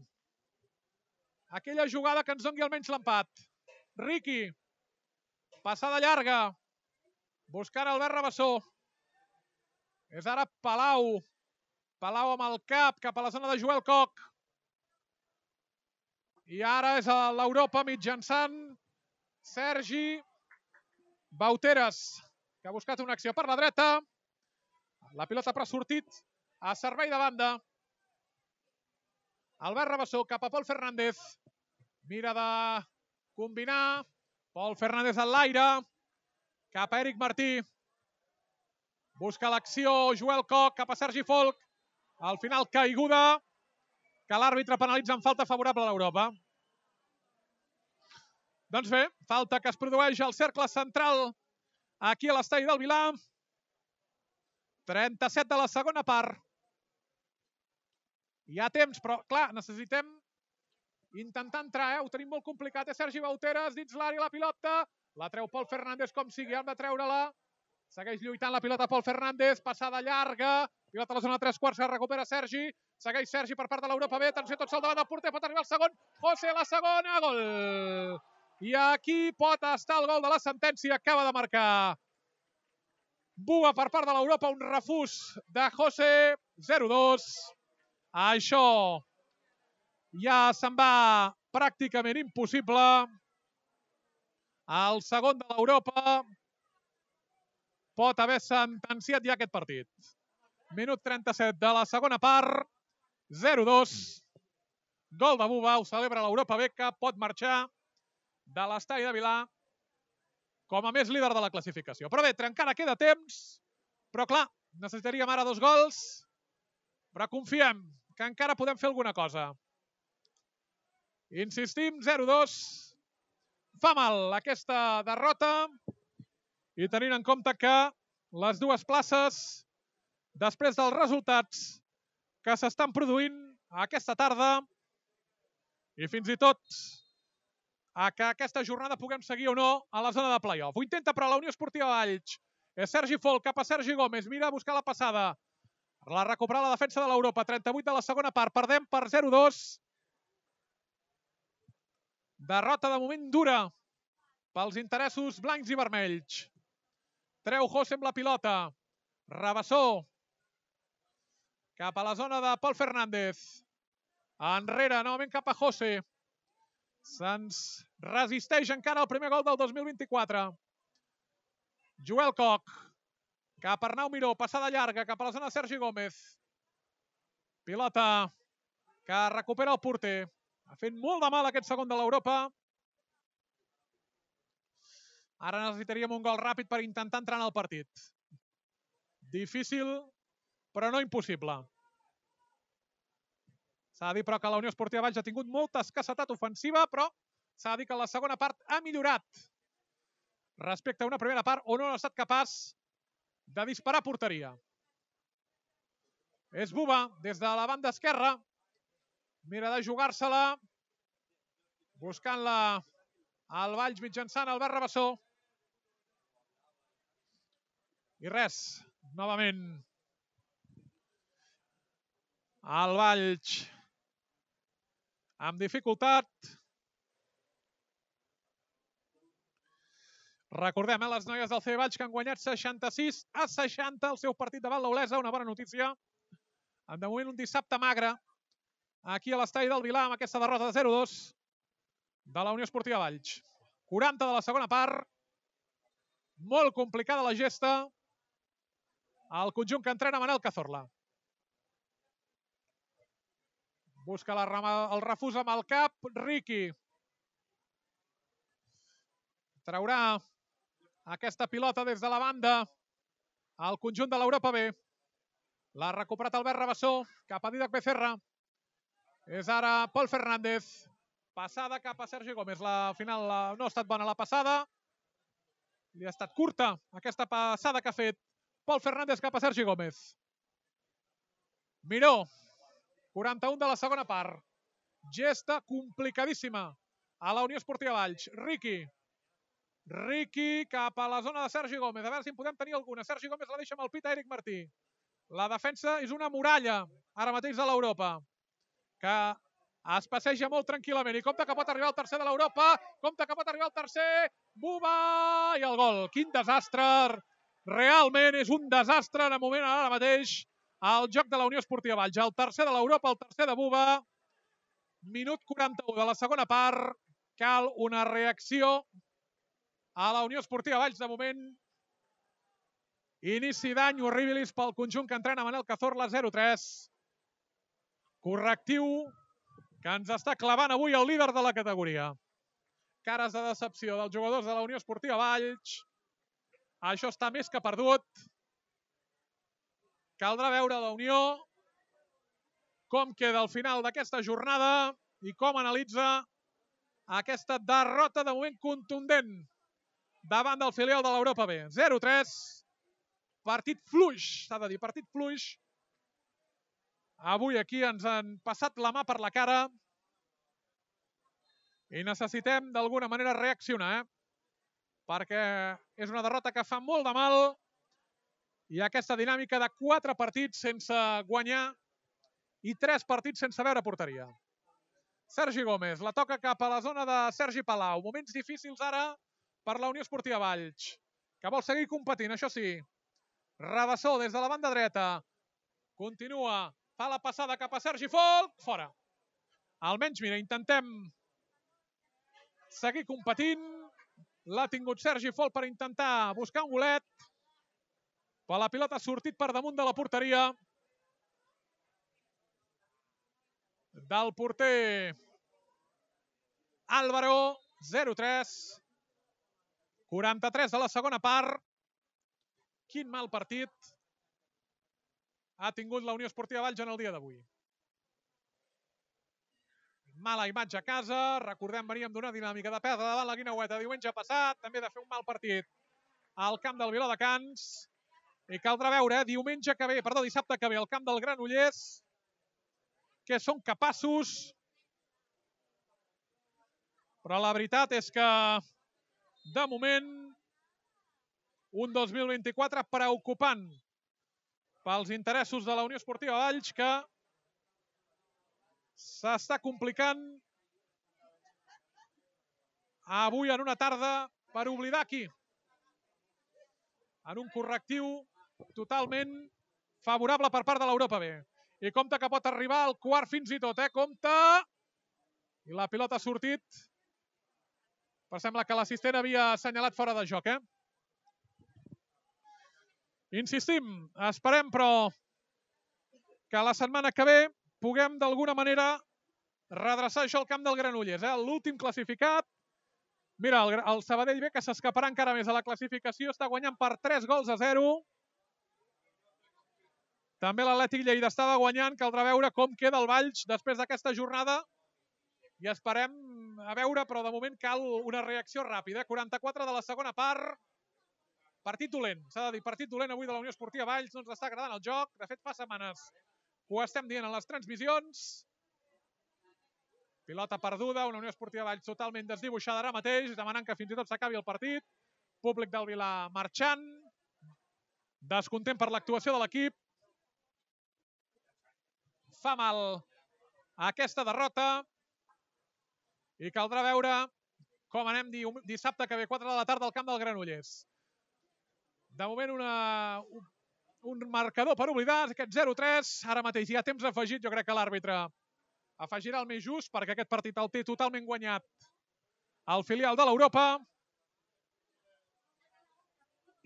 [SPEAKER 1] aquella jugada que ens doni almenys l'empat. Riqui. Passada llarga. Buscant Albert Rabassó. És ara Palau. Palau amb el cap cap a la zona de Joel Koch. I ara és l'Europa mitjançant Sergi Bauteres, que ha buscat una acció per la dreta. La pilota però ha sortit a servei de banda. Albert Rabassó cap a Pol Fernández. Mira de combinar. Pol Fernández en l'aire. Cap a Eric Martí. Busca l'acció Joel Koch cap a Sergi Folch. Al final caiguda que l'àrbitre penalitza en falta favorable a l'Europa. Doncs bé, falta que es produeix al cercle central aquí a l'estadi del Vilar. 37 de la segona part. Hi ha temps, però clar, necessitem intentar entrar, ho tenim molt complicat. Sergi Bauteres dins l'àrea, la pilota. La treu Pol Fernández com sigui, hem de treure-la. Segueix lluitant la pilota Pol Fernández, passada llarga. Pilota a la zona de 3/4, que recupera Sergi. Segueix Sergi per part de l'Europa B. Atenció, tot sol davant del porter, pot arribar el segon. José, la segona, gol! I aquí pot estar el gol de la sentència, acaba de marcar Buba per part de l'Europa, un refús de José, 0-2. Això ja se'n va pràcticament impossible. El segon de l'Europa pot haver sentenciat ja aquest partit. Minut 37 de la segona part, 0-2. Gol de Buba, ho celebra l'Europa B, que pot marxar de l'estadi de Vilar com a més líder de la classificació. Però bé, encara queda temps, però clar, necessitaríem ara 2 gols, però confiem que encara podem fer alguna cosa. Insistim, 0-2. Fa mal aquesta derrota i tenint en compte que les dues places, després dels resultats que s'estan produint aquesta tarda i fins i tot a que aquesta jornada puguem seguir o no a la zona de play-off. Ho intenta però la Unió Esportiva Valls. És Sergi Folch cap a Sergi Gómez. Mira a buscar la passada. La recupera la defensa de l'Europa. 38 de la segona part. Perdem per 0-2. Derrota de moment dura pels interessos blancs i vermells. Treu José amb la pilota. Rabassó. Cap a la zona de Pol Fernández. Enrere, novament cap a José. Se'ns resisteix encara el primer gol del 2024. Joel Koch. Cap a Arnau Miró. Passada llarga cap a la zona de Sergi Gómez. Pilota que recupera el porter. Ha fet molt de mal aquest segon de l'Europa. Ara necessitaríem un gol ràpid per intentar entrar en el partit. Difícil, però no impossible. S'ha de dir, però, que la Unió Esportiva Valls ha tingut molta escassetat ofensiva, però s'ha de dir que la segona part ha millorat respecte a una primera part on no ha estat capaç de disparar a porteria. És Buba, des de la banda esquerra. Mira de jugar-se-la. Buscant-la al Valls mitjançant Albert Rabassó. I res, novament el Valls amb dificultat. Recordem, les noies del CB Valls que han guanyat 66-60 el seu partit davant l'Olesa. Una bona notícia. De moment un dissabte magre aquí a l'estadi del Vilar amb aquesta derrota de 0-2 de la Unió Esportiva Valls. 40 de la segona part. Molt complicada la gesta. El conjunt que entrena Manel Cazorla. Busca el refús amb el cap, Riqui. Traurà aquesta pilota des de la banda al conjunt de l'Europa B. L'ha recuperat Albert Rabassó, cap a Didac Becerra. És ara Pol Fernández. Passada cap a Sergi Gómez. La final no ha estat bona la passada. Li ha estat curta aquesta passada que ha fet Pol Fernández cap a Sergi Gómez. Miró, 41 de la segona part. Gesta complicadíssima a la Unió Esportiva Valls. Riqui cap a la zona de Sergi Gómez. A veure si en podem tenir alguna. Sergi Gómez la deixa amb el pit a Eric Martí. La defensa és una muralla ara mateix de l'Europa, que es passeja molt tranquil·lament i compta que pot arribar el tercer de l'Europa. Compta que pot arribar el tercer. Buba! I el gol. Quin desastre. Realment és un desastre en el moment ara mateix al joc de la Unió Esportiva Valls. El tercer de l'Europa, el tercer de Buba. Minut 41 de la segona part. Cal una reacció a la Unió Esportiva Valls. De moment, inici d'any horribilis pel conjunt que entrena Manel Cazorla, 0-3. Correctiu que ens està clavant avui el líder de la categoria. Cares de decepció dels jugadors de la Unió Esportiva Valls. Això està més que perdut. Caldrà veure la Unió com queda al final d'aquesta jornada i com analitza aquesta derrota de moment contundent davant del filial de l'Europa B. 0-3. Partit fluix, s'ha de dir, partit fluix. Avui aquí ens han passat la mà per la cara i necessitem d'alguna manera reaccionar, perquè és una derrota que fa molt de mal i aquesta dinàmica de 4 partits sense guanyar i 3 partits sense veure porteria. Sergi Gómez la toca cap a la zona de Sergi Palau. Moments difícils ara per la Unió Esportiva Valls, que vol seguir competint, això sí. Rabassó des de la banda dreta. Continua. Fa la passada cap a Sergi Folk. Fora. Almenys, mira, intentem seguir competint. L'ha tingut Sergi Folk per intentar buscar un golet. Però la pilota ha sortit per damunt de la porteria del porter Álvaro. 0-3. 43 de la segona part. Quin mal partit ha tingut la Unió Esportiva Valls en el dia d'avui. Mala imatge a casa. Recordem, veníem d'una dinàmica de perdre davant la Guineueta diumenge passat. També de fer un mal partit al camp del Viladecans. I caldrà veure dissabte que ve al camp del Granollers que són capaços. Però la veritat és que de moment un 2024 preocupant pels interessos de la Unió Esportiva Valls, que s'està complicant avui en una tarda per oblidar aquí. En un correctiu totalment favorable per part de l'Europa B. I compte que pot arribar al quart fins i tot, compte! I la pilota ha sortit. Però sembla que l'assistent havia assenyalat fora de joc, Insistim, esperem, però, que la setmana que ve puguem d'alguna manera redreçar això al camp del Granollers. L'últim classificat. Mira, el Sabadell B, que s'escaparà encara més a la classificació, està guanyant per 3-0. També l'Atlètic Lleida estava guanyant. Caldrà veure com queda el Valls després d'aquesta jornada. I esperem a veure, però de moment cal una reacció ràpida. 44 de la segona part. Partit dolent, s'ha de dir, partit dolent avui de la Unió Esportiva Valls. No ens està agradant el joc. De fet, fa setmanes que ho estem dient en les transmissions. Pilota perduda, una Unió Esportiva Valls totalment desdibuixada ara mateix, demanant que fins i tot s'acabi el partit. Públic del Vilar marxant. Descontent per l'actuació de l'equip. Fa mal aquesta derrota. I caldrà veure com anem dissabte que ve 4 de la tarda al camp del Granollers. De moment un marcador per oblidar, aquest 0-3. Ara mateix hi ha temps afegit. Jo crec que l'àrbitre afegirà el més just perquè aquest partit el té totalment guanyat el filial de l'Europa.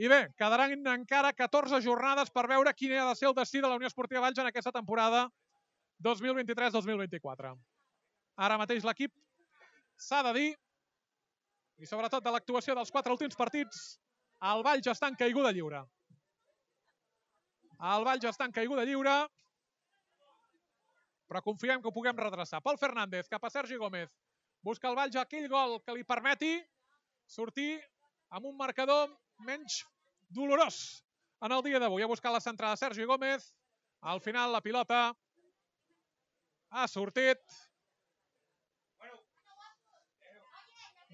[SPEAKER 1] I bé, quedaran encara 14 jornades per veure quin ha de ser el destí de la Unió Esportiva Valls en aquesta temporada 2023-2024. Ara mateix l'equip s'ha de dir, i sobretot de l'actuació dels 4 últims partits, el Valls està en caiguda lliure. El Valls està en caiguda lliure, però confiem que ho puguem redreçar. Pol Fernández cap a Sergi Gómez. Busca el Valls aquell gol que li permeti sortir amb un marcador menys dolorós en el dia d'avui. Ha buscat la centrada Sergi Gómez. Al final la pilota ha sortit.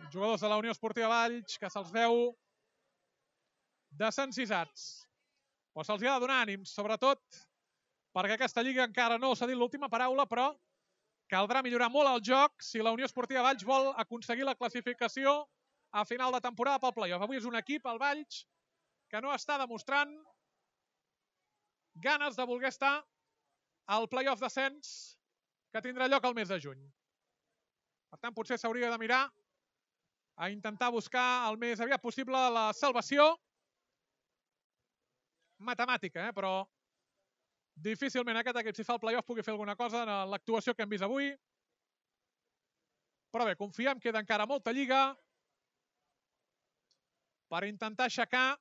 [SPEAKER 1] Els jugadors de la Unió Esportiva Valls, que se'ls veu desencisats. Però se'ls ha de donar ànims, sobretot perquè aquesta lliga encara no s'ha dit l'última paraula, però caldrà millorar molt el joc si la Unió Esportiva Valls vol aconseguir la classificació a final de temporada pel play-off. Avui és un equip, el Valls, que no està demostrant ganes de voler estar al play-off d'ascens que tindrà lloc al mes de juny. Per tant, potser s'hauria de mirar a intentar buscar el més aviat possible la salvació matemàtica, però difícilment aquest equip, si fa el play-off, pugui fer alguna cosa en l'actuació que hem vist avui. Però bé, confiem, queda encara molta lliga per intentar aixecar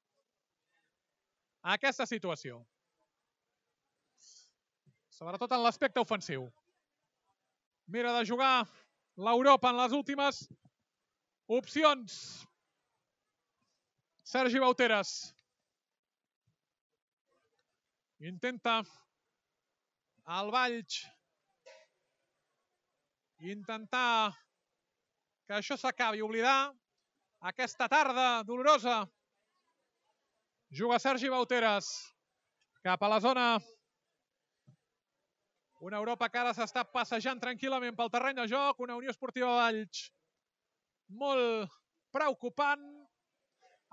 [SPEAKER 1] aquesta situació. Sobretot en l'aspecte ofensiu. Mira de jugar l'Europa en les últimes opcions. Sergi Bauteres. Intenta el Valls intentar que això s'acabi, oblidar aquesta tarda dolorosa. Juga Sergi Bauteres cap a la zona. Una Europa que ara s'està passejant tranquil·lament pel terreny de joc. Una Unió Esportiva Valls molt preocupant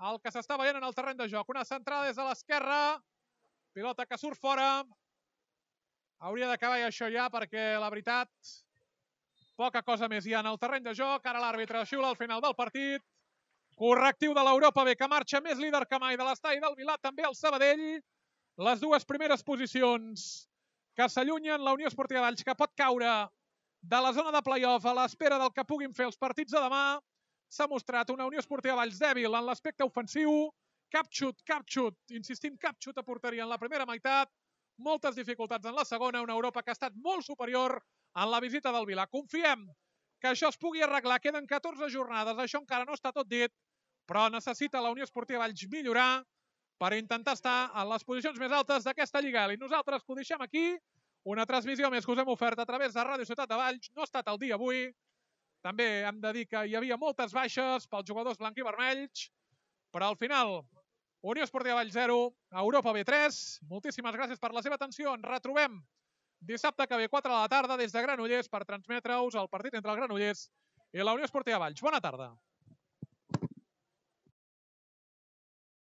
[SPEAKER 1] el que s'està veient en el terreny de joc. Una centrada des de l'esquerra. Pilota que surt fora. Hauria d'acabar això ja perquè, la veritat, poca cosa més hi ha en el terreny de joc. Ara l'àrbitre xiula al final del partit. Correctiu de l'Europa B, que marxa més líder que mai de l'estadi del Vilà, també el Sabadell. Les dues primeres posicions que s'allunyen, la Unió Esportiva Valls, que pot caure de la zona de play-off a l'espera del que puguin fer els partits de demà. S'ha mostrat una Unió Esportiva Valls dèbil en l'aspecte ofensiu. Cap xut, insistim, cap xut a porteria en la primera meitat. Moltes dificultats en la segona. Una Europa que ha estat molt superior en la visita del Vilà. Confiem que això es pugui arreglar. Queden 14 jornades, això encara no està tot dit, però necessita la Unió Esportiva Valls millorar per intentar estar en les posicions més altes d'aquesta Lliga. I nosaltres que ho deixem aquí. Una transmissió més que us hem ofert a través de Ràdio Ciutat de Valls. No ha estat el dia avui. També hem de dir que hi havia moltes baixes pels jugadors blanc i vermells, però al final, Unió Esportiva Valls 0, Europa B 3. Moltíssimes gràcies per la seva atenció. Ens retrobem dissabte que ve 4 de la tarda des de Granollers per transmetre-us el partit entre el Granollers i la Unió Esportiva Valls. Bona tarda.